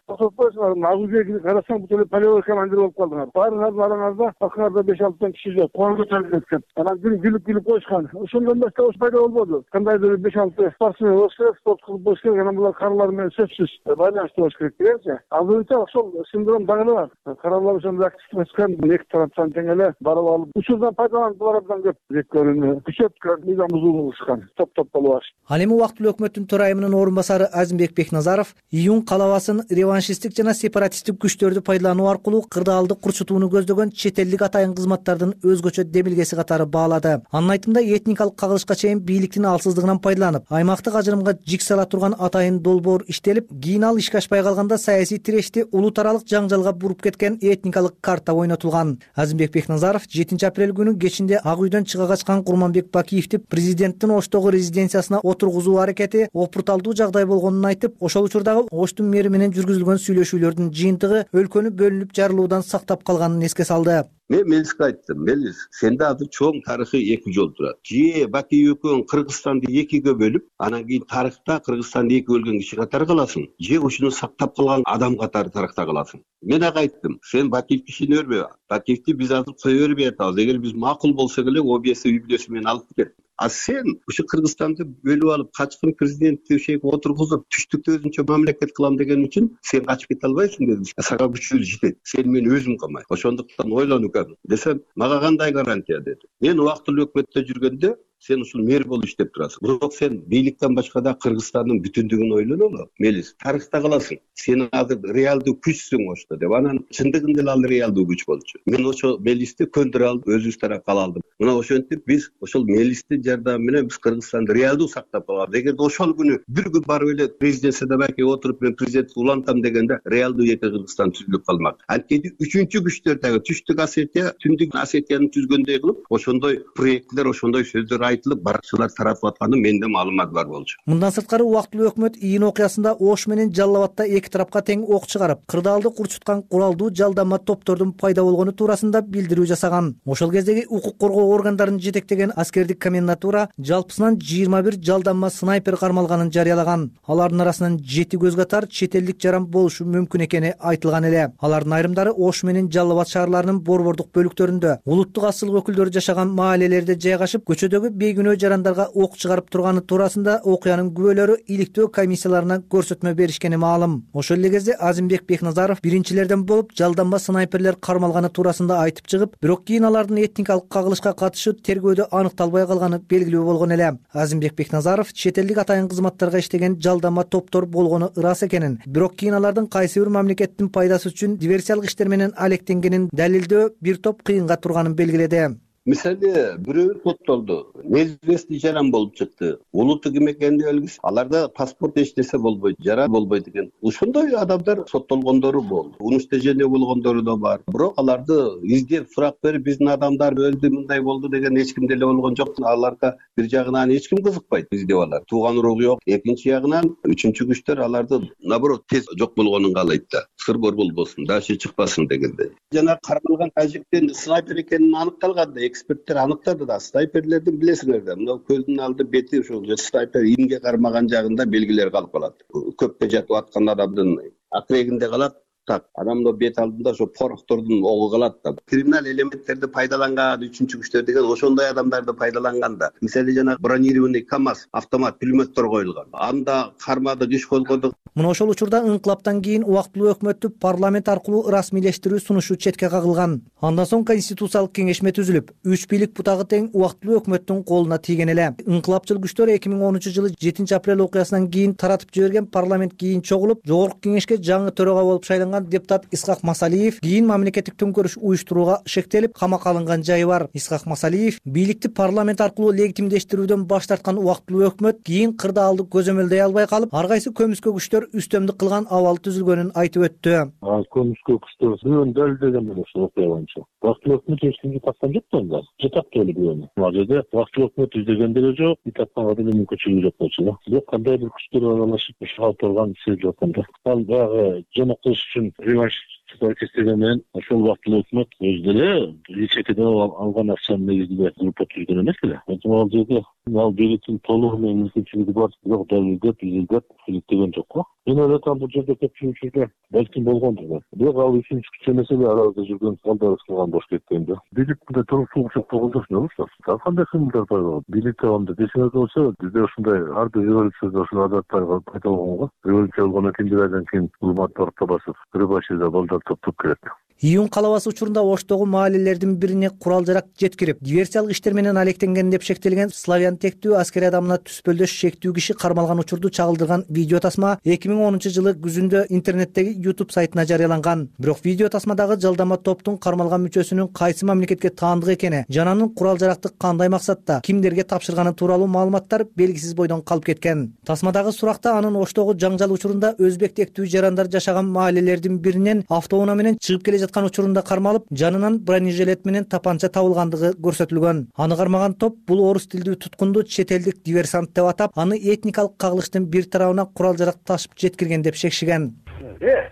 S25: агузеги карасаң бут эле полевой командир болуп калдыңар. Баарыңардын араңарда акырда 5-6 киши жок. Кол көтөрүлүп кеткен. Анан күлүп коюшкан. Ошондон баштап пайда болбоду. Кандайдыр 5-6 спортсмен күчүнө болуш керек, спорт кылып болуш керек. Анан булар каралар менен сөзсүз байланыштуу болуш керек дегенчи. Азыр ошол синдром дагы бар. Каралар ошондой активдүү экен, эки тараптан тең эле барып алып, учурдан пайдаланып булар абдан көп зекөрүнү күчөткөн, мыйзам бузуу болушкан, топ болуп алышты.
S7: Ал эми убактылуу өкмөттүн төрайымынын орун басары Азимбек Бекназаров июнь калабасын реваншисттик жана сепаратисттик күчтөрдү пайдалануу аркылуу кырдаалды курчутууну көздөгөн чет элдик атайын кызматтардын өзгөчө демилгеси катары баалады. Анын айтымында этникалык кагылышка чейин бийликтин алсыздыгынан пайдаланып, аймактык ажырымга жик сала турган атайын долбоор иштелип, кийин ал ишке ашпай калганда саясий тирешти улуу таралык жаңжалга буруп кеткен этникалык карта ойнотулган. Азимбек Бекназаров 7 апрель күнү кечинде Ак үйдөн чыга качкан Курманбек Бакиевди президенттин Оштогу резиденциясына отургузуу аракети опурталдуу жагдай болгонун айтып, ошол учурдагы Оштун мэри менен жүргүзүлгөн сүйлөшүүлөрдүн жыйынтыгы өлкөнү бөлүнүп жарылуудан сактап калганын эске салды.
S9: Мен Мелиске айттым, Мелис, сенде азыр чоң тарыхый эки жол турат. Же Бакиев экөөң Кыргызстанды экиге бөлүп, анан кийин тарыхта Кыргызстанды эки бөлгөн киши катары каласың, же ушуну сактап калган адам катары тарыхта каласың. Мен ага айттым, сен Бакиевди ишене бербе. Бакиевди биз азыр кое бербей атабыз. Эгер биз макул болсок эле ОБС үй бүлөсү менен алып кет. А сен ушу Кыргызстанды бөлүп алып, качкын президентти ошего отургузуп, түштүктө өзүнчө мамлекет кылам деген үчүн сен качып кете албайсың деди. Сага күчү жетет. Сен мен өзүм калмай. Ошондуктан ойлонуп десем, мага кандай гарантия деди. Мен убактылуу өкмөттө жүргөндө сен ушул мэр болуп иштеп турасың. Бирок сен бийликтен башка да Кыргызстандын бүтүндүгүн ойлонолу. Мелис, тарыхта каласың. Сен азыр реалдуу күчсүң ошто деп. Анан чындыгында эле ал реалдуу күч болчу. Мен ошо Мелисти көндүрө алып, өзүбүз тарапка ала алдым. Мына ошентип биз ошол Мелисти жардамы менен биз Кыргызстанды реалдуу сактап калабыз. Эгерде ошол күнү бир күн барып эле резиденцияда балки отуруп мен президентти улантам дегенде реалдуу эки Кыргызстан түзүлүп калмак. Анткени үчүнчү күчтөр дагы Түштүк Осетия, Түндүк Осетияны түзгөндөй кылып, ошондой проекттер, ошондой сөздөр айтылып баракчылар таратып атканы менде маалымат бар болчу.
S7: Мындан сырткары убактылуу өкмөт июнь окуясында Ош менен Жалал Абадта эки тарапка тең ок чыгарып, кырдаалды курчуткан куралдуу жалданма топтордун пайда болгону туурасында билдирүү жасаган. Ошол кездеги укук коргоо органдарын жетектеген аскердик комендатура жалпысынан 21 жалданма снайпер кармалганын жарыялаган. Алардын арасынан 7 көз катар чет элдик жаран болушу мүмкүн экени айтылган эле. Алардын айрымдары Ош менен Жалал Абад шаарларынын борбордук бөлүктөрүндө, улуттук асыл өкүлдөрү жашаган маалелерде жайгашып, көчөдөгү бейгүнөө жарандарга ок чыгарып турганы туурасында окуянын күбөлөрү иликтөө комиссияларына көрсөтмө беришкени маалым. Ошол эле кезде Азимбек Бекназаров биринчилерден болуп жалданма снайперлер кармалганы туурасында айтып чыгып, бирок кийин алардын этникалык кагылышка катышы тергөөдө аныкталбай калганы белгилүү болгон эле. Азимбек Бекназаров чет элдик атайын кызматтарга иштеген жалданма топтор болгону ырас экенин, бирок кийин алардын кайсы бир мамлекеттин пайдасы үчүн диверсиялык иштер менен алектенгенин далилдөө бир топ кыйынга турганын белгиледи.
S9: Мисалы бирөө соттолду. Неизвестный жаран болуп чыкты. Улуты ким экени белгисиз. Аларда паспорт эчтесе болбойт, жара болбойт экен. Ошондой адамдар соттолгондору болду. Уничтожение болгондору да бар. Бирок аларды издеп сурак берип, биздин адамдар өлдү, мындай болду деген эч ким деле болгон жок. Аларга бир жагынан эч ким кызыкпайт издеп алар. Тууган уругу жок. Экинчи ягынан үчүнчү күчтөр аларды наоборот тез жок болгонун каалайт да. Сырбор болбосун, дачы чыкпасын дегенде. Жана кармалган тажиктин снайпер экенин аныкталганда эксперттер аныктады да. Снайперлердин билесиңер да, мына көздүн алды бети ошол снайпер имге кармаган жагында белгилер калып калат. Көпкө жатып аткан адамдын акрегинде калат. Так, адамдын бет алдында ошо порохтордун огу калат да. Криминал элементтерди пайдаланган үчүнчү күчтөр деген ошондой адамдарды пайдаланган да. Мисалы жана бронированный КАМАЗ, автомат пулеметтер коюлган. Анда кармадык, иш козгодук.
S7: Мына ошол учурда инкылаптан кийин убактылуу өкмөттү парламент аркылуу расмийлештирүү сунушу четке кагылган. Андан соң конституциялык кеңешме түзүлүп, 3 бийлик бутагы тең убактылуу өкмөттүн колуна тийген эле. Инкылапчыл күчтөр 2010 жылы 7 апрель окуясынан кийин таратып жиберген парламент кийин чогулуп, жогорку кеңешке жаңы төрага болуп шайланган депутат Исхак Масалиев кийин мамлекеттик төңкөрүш уюштурууга шектелип, камакка алынган жайы бар. Исхак Масалиев бийликти парламент аркылуу легитимдештирүүдөн баш тарткан убактылуу өкмөт кийин кырдаалды көзөмөлдөй албай калып, ар кайсы көмүскө күчтөр үстөмдүк кылган абал түзүлгөнүн айтып өттү.
S4: Көмүскө күчтөр бирөөнү далилдеген эле ушул окуя боюнча. Убактылуу өкмөт эч кимге тапкан жок да анда. Жатат эле бирөөнү. Ал жерде убактылуу өкмөт издеген деле жок, тапканга деле мүмкүнчүлүгү жок болчу да. Бирок кандай бир күчтөр аралашып ушуга турган сезилип аткан да. Ал баягы жоноктош үчүн реванш системы менен ошол убактылуу өкмөт өзү деле чекеден алган акчанын негизинде группа түзгөн эмес эле. Ал жерде Ал бийликтин толугу менен мүмкүнчүлүгү бар, бирок далилдеп, изилдеп иликтеген жок го. Мен ойлойт бул жерде көпчүлүк учурда балким болгондур. Бирок ал үчүнчү күчө маселе арабызда жүргөн балдарыбыз кылган болуш кеткен да. Бийлик мындай туруктуулук болгондо эмне болот? Ал кандай кыймылдар пайда болот? Бийлик табамында десеңер болсо, бизде ушундай ар бир революцияда ушул адаттар пайда болгонго. Революция болгондон кийин бир айдан кийин улматтарды басып, Рыбашида балдар топтоп келет.
S7: Июнь калабасы учурунда Оштогу маалелердин бирине курал-жарак жеткирип, диверсиялык иштер менен алектенген деп шектелген славян тектүү аскери адамына түспөлдөш шектүү киши кармалган учурду чагылдырган видео тасма 2010-жылы күзүндө интернеттеги YouTube сайтына жарыяланган. Бирок видео тасмадагы жалдама топтун кармалган мүчөсүнүн кайсы мамлекетке таандык экени, жана анын курал-жаракты кандай максатта, кимдерге тапшырганы тууралуу маалыматтар белгисиз бойдон калып кеткен. Тасмадагы суракта анын Оштогу жаңжал учурунда өзбек тектүү жарандар жашаган маалелердин биринен автоунаа менен чыгып келе жаткан учурунда кармалып, жанынан бронежилет менен тапанча табылгандыгы көрсөтүлгөн. Аны кармаган топ бул орус тилдүү туткунду чет элдик диверсант деп атап, аны этникалык кагылыштын бир тарабына курал-жарак ташып жеткирген деп шекшиген.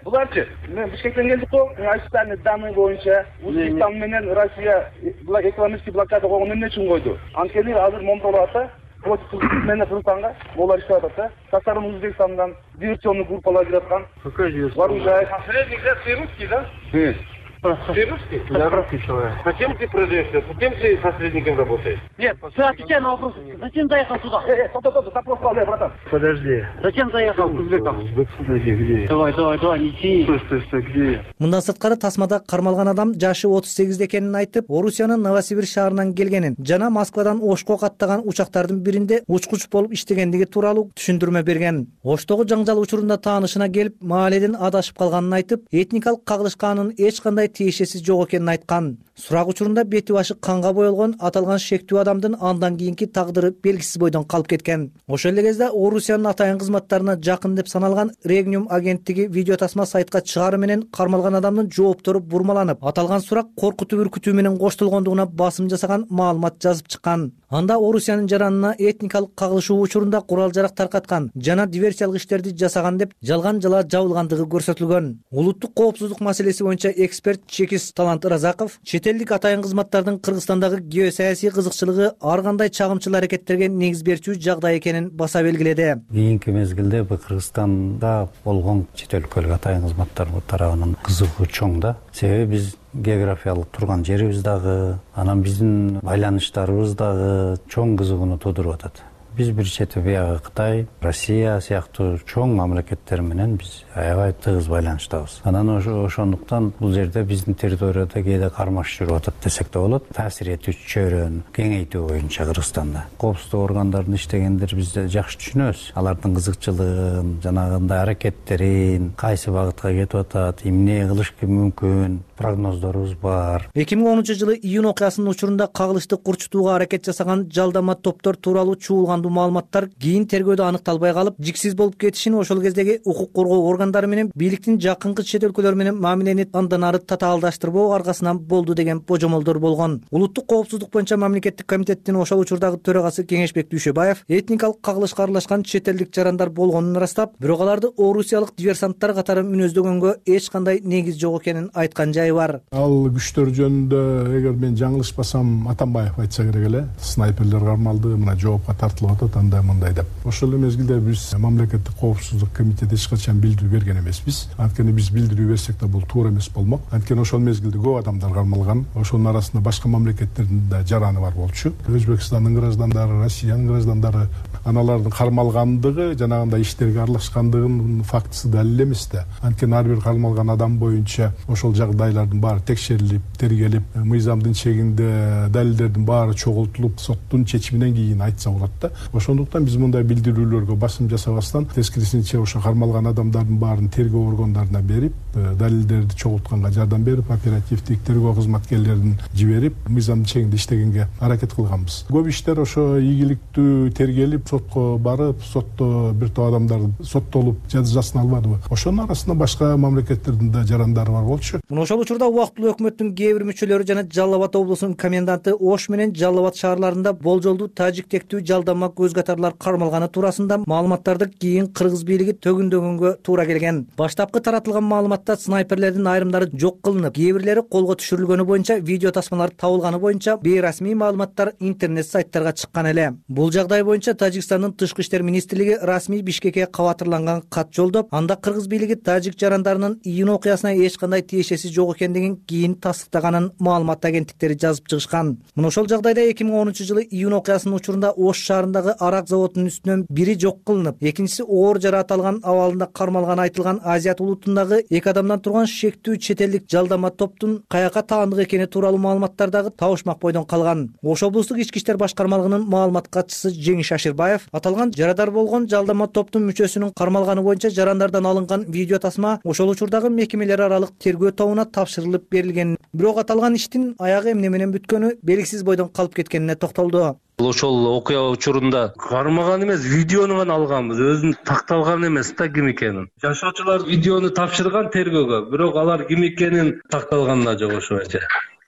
S3: Буларчы, мен Бишкектен келдик го. Официальный данные боюнча Узбекстан менен Россия экономический блокада койгон эмне үчүн койду? Анткени азыр момторлуп атат. Против менен Кыргызстанга олар иштеп атат. Тасарым Узбекстандан диверсионный группалар кирип аткан. Какой диверсионный? Посредник ты русский, да? Ты русский? Да, русский человек. Зачем ты продаешь? Зачем ты посредником работаешь? Нет, ты отвечай на вопрос. Зачем заехал сюда? Стоп, запрос клади, братан. Подожди. Зачем заехал? Узбекстан где? Давай, неси. Стой, где?
S7: Мындан сырткары тасмада кармалган адам жашы 38 экенин айтып, Орусиянын Новосибирск шаарынан келгенин жана Москвадан Ошко каттаган учактардын биринде учкуч болуп иштегендиги тууралуу түшүндүрмө берген. Оштогу жаңжал учурунда таанышына келип, мааледен адашып калганын айтып, этникалык кагылышка анын эч кандай тиешеси жок экенин айткан. Сурак учурунда бети башы канга боелгон аталган шектүү адамдын андан кийинки тагдыры белгисиз бойдон калып кеткен. Ошол эле кезде Орусиянын атайын кызматтарына жакын деп саналган Регниум агенттиги видео тасма сайтка чыгаары менен кармалган адамдын жооптору бурмаланып, аталган сурак коркутуу-үркүтүү менен коштолгондугуна басым жасаган маалымат жазып чыккан. Анда Орусиянын жаранына этникалык кагылышуу учурунда курал-жарак таркаткан жана диверсиялык иштерди жасаган деп жалган жала жабылгандыгы көрсөтүлгөн. Улуттук коопсуздук маселеси боюнча эксперт Чекис Талант Ыразаков чет элдик атайын кызматтардын Кыргызстандагы геосаясий кызыкчылыгы ар кандай чагымчыл аракеттерге негиз берчү жагдай экенин баса белгиледи.
S10: Кийинки мезгилде Кыргызстанда болгон чет өлкөлүк атайын кызматтар тарабынан кызыгуу чоң да. Себеби биз географиялык турган жерибиз дагы, анан биздин байланыштарыбыз дагы чоң кызыгууну туудуруп атат. Биз бир чети биягы Кытай, Россия сыяктуу чоң мамлекеттер менен биз аябай тыгыз байланыштабыз. Анан ошондуктан бул жерде биздин территорияда кээде кармаш жүрүп атат десек да болот. Таасир этүүчү чөйрөнү кеңейтүү боюнча Кыргызстанда коопсуздук органдарын иштегендер биз жакшы түшүнөбүз. Алардын кызыкчылыгын, жанагындай аракеттерин, кайсы багытка кетип атат, эмне кылыш мүмкүн, прогноздорубуз бар.
S7: 2010-жылы июнь окуясынын учурунда кагылышты курчутууга аракет жасаган жалдама топтор тууралуу чуулган маалыматтар кийин тергөөдө аныкталбай калып, жиксиз болуп кетишин ошол кездеги укук коргоо органдары менен бийликтин жакынкы чет өлкөлөр менен мамилени андан ары татаалдаштырбоо аркасынан болду деген божомолдор болгон. Улуттук коопсуздук боюнча мамлекеттик комитеттин ошол учурдагы төрагасы Кеңешбек Дүйшөбаев этникалык кагылышка аралашкан чет элдик жарандар болгонун ырастап, бирок аларды орусиялык диверсанттар катары мүнөздөгөнгө эч кандай негиз жок экенин айткан жайы бар.
S11: Ал күчтөр жөнүндө эгер мен жаңылышпасам Атамбаев айтса керек эле, снайперлер кармалды, мына жоопко тартылып атат андай деп. Ошол эле мезгилде биз мамлекеттик коопсуздук комитети эч качан билдирүү берген эмеспиз. Анткени биз билдирүү берсек да бул туура эмес болмок. Анткени ошол мезгилде көп адамдар кармалган. Ошонун арасында башка мамлекеттердин да жараны бар болчу. Өзбекстандын граждандары, Россиянын граждандары, аналардын кармалгандыгы, жанагындай иштерге аралашкандыгынын фактысы далил эмес да. Анткени ар бир кармалган адам боюнча ошол жагдайлардын баары текшерилип, тергелип, мыйзамдын чегинде далилдердин баары чогултулуп, соттун чечиминен кийин айтса болот да. Ошондуктан биз мындай билдирүүлөргө басым жасабастан тескерисинче ошо кармалган адамдардын баарын тергөө органдарына берип, далилдерди чогултканга жардам берип, оперативдик тергөө кызматкерлерин жиберип, мыйзамдын чегинде иштегенге аракет кылганбыз. Көп иштер ошо ийгиликтүү тергелип, сотко барып, сотто бир топ адамдар соттолуп жазасын албадыбы? Ошонун арасында башка мамлекеттердин да жарандары бар болчу.
S7: Мына ошол учурда убактылуу өкмөттүн кээ бир мүчөлөрү жана Жалал Абад облусунун коменданты Ош менен Жалал Абад шаарларында болжолдуу тажик тектүү жалдама көз катарлар кармалганы туурасында маалыматтарды кийин кыргыз бийлиги төгүндөгөнгө туура келген. Баштапкы таратылган маалыматта снайперлердин айрымдары жок кылынып, кээ бирлери колго түшүрүлгөнү боюнча видео тасмалар табылганы боюнча бейрасмий маалыматтар интернет сайттарга чыккан эле. Бул жагдай боюнча Тажикстандын тышкы иштер министрлиги расмий Бишкекке кабатырланган кат жолдоп, анда кыргыз бийлиги тажик жарандарынын июнь окуясына эч кандай тиешеси жок экендигин кийин тастыктаганын маалымат агенттиктери жазып чыгышкан. Мына ошол жагдайда 2010-жылы июнь окуясынын учурунда Ош шаарындагы арак заводунун үстүнөн бири жок кылынып, экинчиси оор жараат алган абалында кармалганы айтылган Азият улутундагы 2 адамдан турган шектүү чет элдик жалдама топтун каяка таандык экени тууралуу маалыматтар дагы табышмак бойдон калган. Ош облустук ички иштер башкармалыгынын маалымат катчысы Жеңиш Аширбаев аталган жарадар болгон жалдама топтун мүчөсүнүн кармалганы боюнча жарандардан алынган видео тасма ошол учурдагы мекемелер аралык тергөө тобуна тапшырылып берилген. Бирок аталган иштин аягы эмне менен бүткөнү белгисиз бойдон калып кеткенине токтолду.
S13: Ошол окуя учурунда кармаган эмес, видеону гана алганбыз, өзүн такталган эмес да ким экенин. Жашоочулар видеону тапшырган тергөөгө, бирок алар ким экенин такталганына жок ошондо.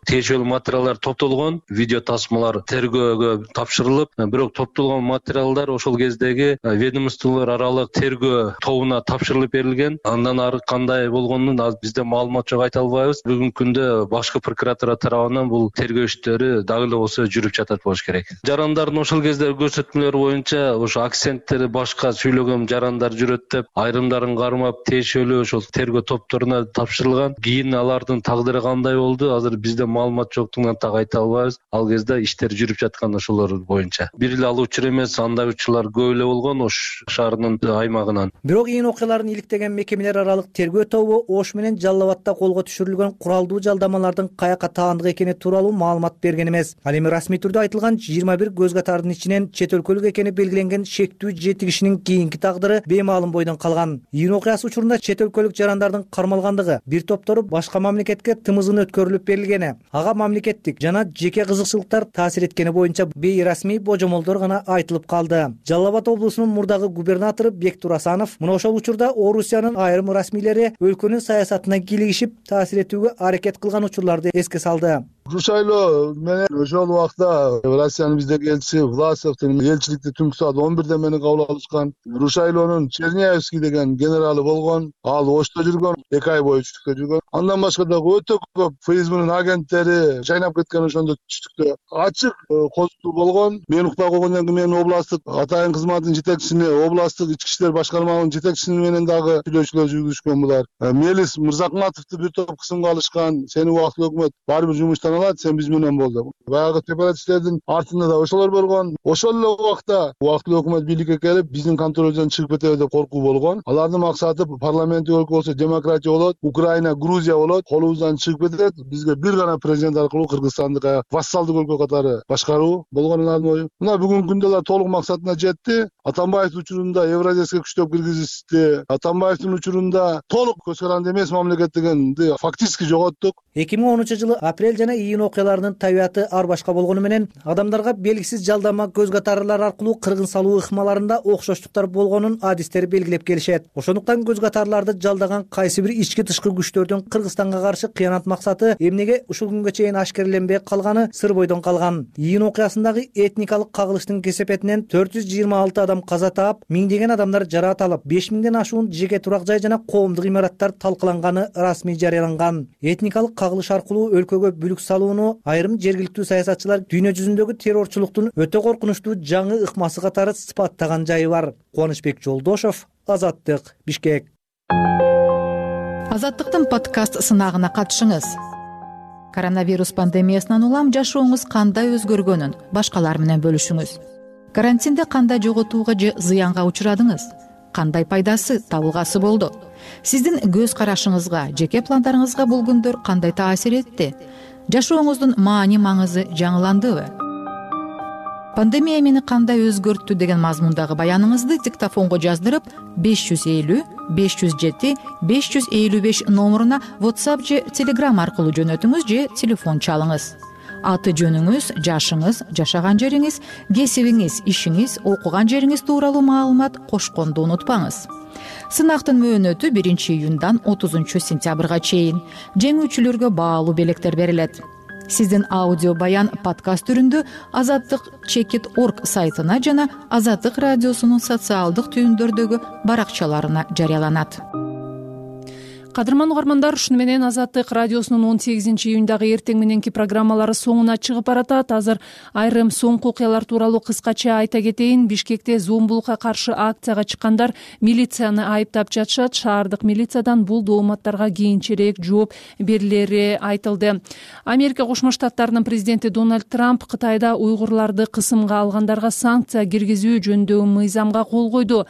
S13: Тиешелүү материалдар топтолгон, видео тасмалар тергөөгө тапшырылып, бирок топтолгон материалдар ошол кездеги ведомстволор аралык тергөө тобуна тапшырылып берилген. Андан ары кандай болгонун бизде маалымат жок, айта албайбыз. Бүгүнкү күндө башкы прокуратура тарабынан бул тергөө иштери дагы эле болсо жүрүп жатат болуш керек. Жарандардын ошол кездеги көрсөтмөлөрү боюнча ошо акценттери башка сүйлөгөн жарандар жүрөт деп айрымдарын кармап тиешелүү ошол тергөө топторуна тапшырылган. Кийин алардын тагдыры кандай болду, азыр бизде маалымат жоктугунан так айта албайбыз. Ал кезде иштер жүрүп жаткан ошолор боюнча. Бир эле алуучу эмес, андай учурлар көп эле болгон Ош шаарынын аймагынан.
S7: Бирок июнь окуяларын иликтеген мекемелер аралык тергөө тобу Ош менен Жалал Абадта колго түшүрүлгөн куралдуу жалдамалардын каяка таандык экени тууралуу маалымат берген эмес. Ал эми расмий түрдө айтылган 21 көз катардын ичинен чет өлкөлүк экени белгиленген шектүү 7 кишинин кийинки тагдыры беймаалым бойдон калган. Июнь окуясы учурунда чет өлкөлүк жарандардын кармалгандыгы, бир топтору башка мамлекетке тымызын өткөрүлүп берилгени, ага мамлекеттик жана жеке кызыкчылыктар таасир эткени боюнча бейрасмий божомолдор гана айтылып калды. Жалал Абад облусунун мурдагы губернатору Бектур Асанов мына ошол учурда Орусиянын айрым расмийлери өлкөнүн саясатына кийлигишип таасир этүүгө аракет кылган учурларды эске салды.
S2: Рушайло менен ошол убакта Россиянын биздеги элчиси Власовдун элчиликти түнкү саат 11де мени кабыл алышкан. Рушайлонун Черняевский деген генералы болгон. Ал Ошто жүргөн, 2 ай бою түштүктө жүргөн. Андан башка дагы өтө көп ФСБнын агенттери жайнап кеткен ошондо түштүктө. Ачык козутуу болгон. Мен уктап койгондон кийин мен областтык атайын кызматтын жетекчисине, областтык ички иштер башкармалыгынын жетекчиси менен дагы сүйлөшүүлөр жүргүзүшкөн булар. Мелис Мырзакматовду бир топ кысымга алышкан. Сени убактылуу өкмөт баары бир жумуштан алат, сен биз менен бол деп. Баягы сепаратисттердин артында да ошолор болгон. Ошол эле убакта убактылуу өкмөт бийликке келип, биздин контролдон чыгып кетеби деп коркуу болгон. Алардын максаты парламенттик өлкө болсо демократия болот, Украина, Грузия болот, колубуздан чыгып кетет. Бизге бир гана президент аркылуу Кыргызстанды вассалдык өлкө катары башкаруу болгон алардын ою. Мына бүгүнкү күндө алар толук максатына жетти. Атамбаевдин учурунда Евразияска күчтөп киргизишти. Атамбаевдин учурунда толук көз каранды эмес мамлекет дегенди фактически жоготтук.
S7: 2010-жылы апрель жана июнь окуяларынын табияты ар башка болгону менен адамдарга белгисиз жалдама көз катарлар аркылуу кыргын салуу ыкмаларында окшоштуктар болгонун адистер белгилеп келишет. Ошондуктан көз катарларды жалдаган кайсы бир ички тышкы күчтөрдүн Кыргызстанга каршы кыянат максаты эмнеге ушул күнгө чейин ашкерленбей калганы сыр бойдон калган. Июнь окуясындагы этникалык кагылыштын кесепетинен 426 адам каза таап, миңдеген адамдар жараат алып, 5000ден ашуун жеке турак жай жана коомдук имараттар талкаланганы расмий жарыяланган. Этникалык кагылыш аркылуу өлкөгө бүлүк салууну айрым жергиликтүү саясатчылар дүйнө жүзүндөгү террорчулуктун өтө коркунучтуу жаңы ыкмасы катары сыпаттаган жайы бар. Кубанычбек Жолдошов, Азаттык, Бишкек.
S15: Азаттыктын подкаст сынагына катышыңыз. Коронавирус пандемиясынан улам жашооңуз кандай өзгөргөнүн башкалар менен бөлүшүңүз. Карантинде кандай жоготууга же зыянга учурадыңыз? Кандай пайдасы, табылгасы болду? Сиздин көз карашыңызга, жеке пландарыңызга бул күндөр кандай таасир этти? Жашооңуздун маани маңызы жаңыландыбы? Пандемия мени кандай өзгөрттү деген мазмундагы баяныңызды диктофонго жаздырып 550 507 555 номуруна WhatsApp же Telegram аркылуу жөнөтүңүз же телефон чалыңыз. аты жөнүңүз, жашыңыз, жашаган жериңиз, кесибиңиз, ишиңиз, окуган жериңиз тууралуу маалымат кошконду унутпаңыз. Сынактын мөөнөтү 1-июндан 30-сентябрга чейин. Жеңүүчүлөргө баалуу белектер берилет. Сиздин аудио баян подкаст түрүндө azadlik.org сайтына жана Азаттык радиосунун социалдык түйүндөрдөгү баракчаларына жарыяланат.
S1: Кадырман угармандар, ушуну менен Азаттык радиосунун 18-июндагы эртең мененки программалары соңуна чыгып баратат. Азыр айрым соңку окуялар тууралуу кыскача айта кетейин. Бишкекте зомбулукка каршы акцияга чыккандар милицияны айыптап жатышат. Шаардык милициядан бул дооматтарга кийинчерээк жооп берилери айтылды. Америка Кошмо Штаттарынын президенти Дональд Трамп Кытайда уйгурларды кысымга алгандарга санкция киргизүү жөнүндөгү мыйзамга кол койду.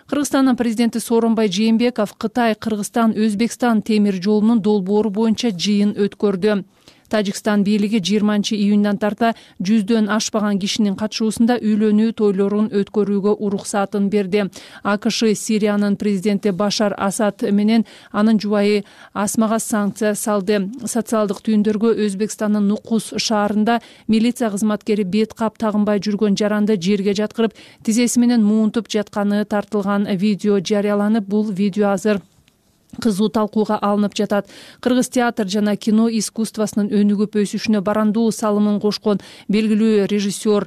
S1: Кыргызстандын президенти Сооронбай Жээнбеков Кытай, Кыргызстан, Өзбекстан темир жолунун долбоору боюнча жыйын өткөрдү. Тажикстан бийлиги 20-июндан тарта 100дөн ашпаган кишинин катышуусунда үйлөнүү тойлорун өткөрүүгө уруксатын берди. АКШ Сириянын президенти Башар Асад менен анын жубайы Асмага санкция салды. Социалдык түйүндөргө Өзбекстандын Нукус шаарында милиция кызматкери бет кап тагынбай жүргөн жаранды жерге жаткырып, тизеси менен муунтуп жатканы тартылган видео жарыяланып, бул видео азыр кызуу талкууга алынып жатат. Кыргыз театр жана кино искусствосунун өнүгүп өсүшүнө барандуу салымын кошкон белгилүү режиссер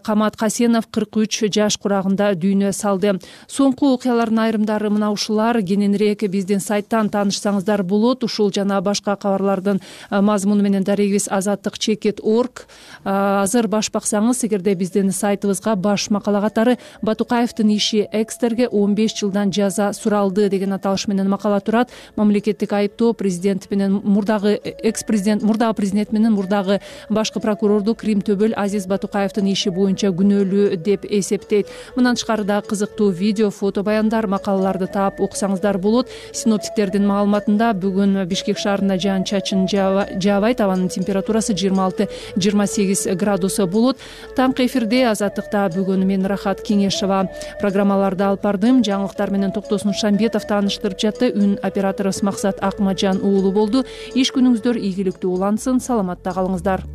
S1: Камат Касенов 43 жаш курагында дүйнө салды. Соңку окуялардын айрымдары мына ушулар. Кененирээк биздин сайттан таанышсаңыздар болот. Ушул жана башка кабарлардын мазмуну менен дарегибиз azadlik.org. Азыр баш баксаңыз, эгерде биздин сайтыбызга баш макала катары Батукаевдин иши экстерге 15 жылдан жаза суралды деген аталыш менен макала турат. Мамлекеттик айыптоо президент менен мурдагы президент менен мурдагы башкы прокурорду Крим Төбөл Азиз Батукаевдин иши боюнча күнөөлүү деп эсептейт. Мындан тышкары да кызыктуу видео, фото баяндар, макалаларды таап окусаңыздар болот. Синоптиктердин маалыматында бүгүн Бишкек шаарында жаан-чачын жаабайт. Абанын температурасы 26-28 градус болот. Таңкы эфирде Азаттыкта бүгүн мен Рахат Кеңешова программаларды алып бардым. Жаңылыктар менен Токтосун Шамбетов тааныштырып жатты. Үн операторубуз Максат Акмаджан уулу болду. Иш күнүңүздөр ийгиликтүү улансын. Саламатта калыңыздар.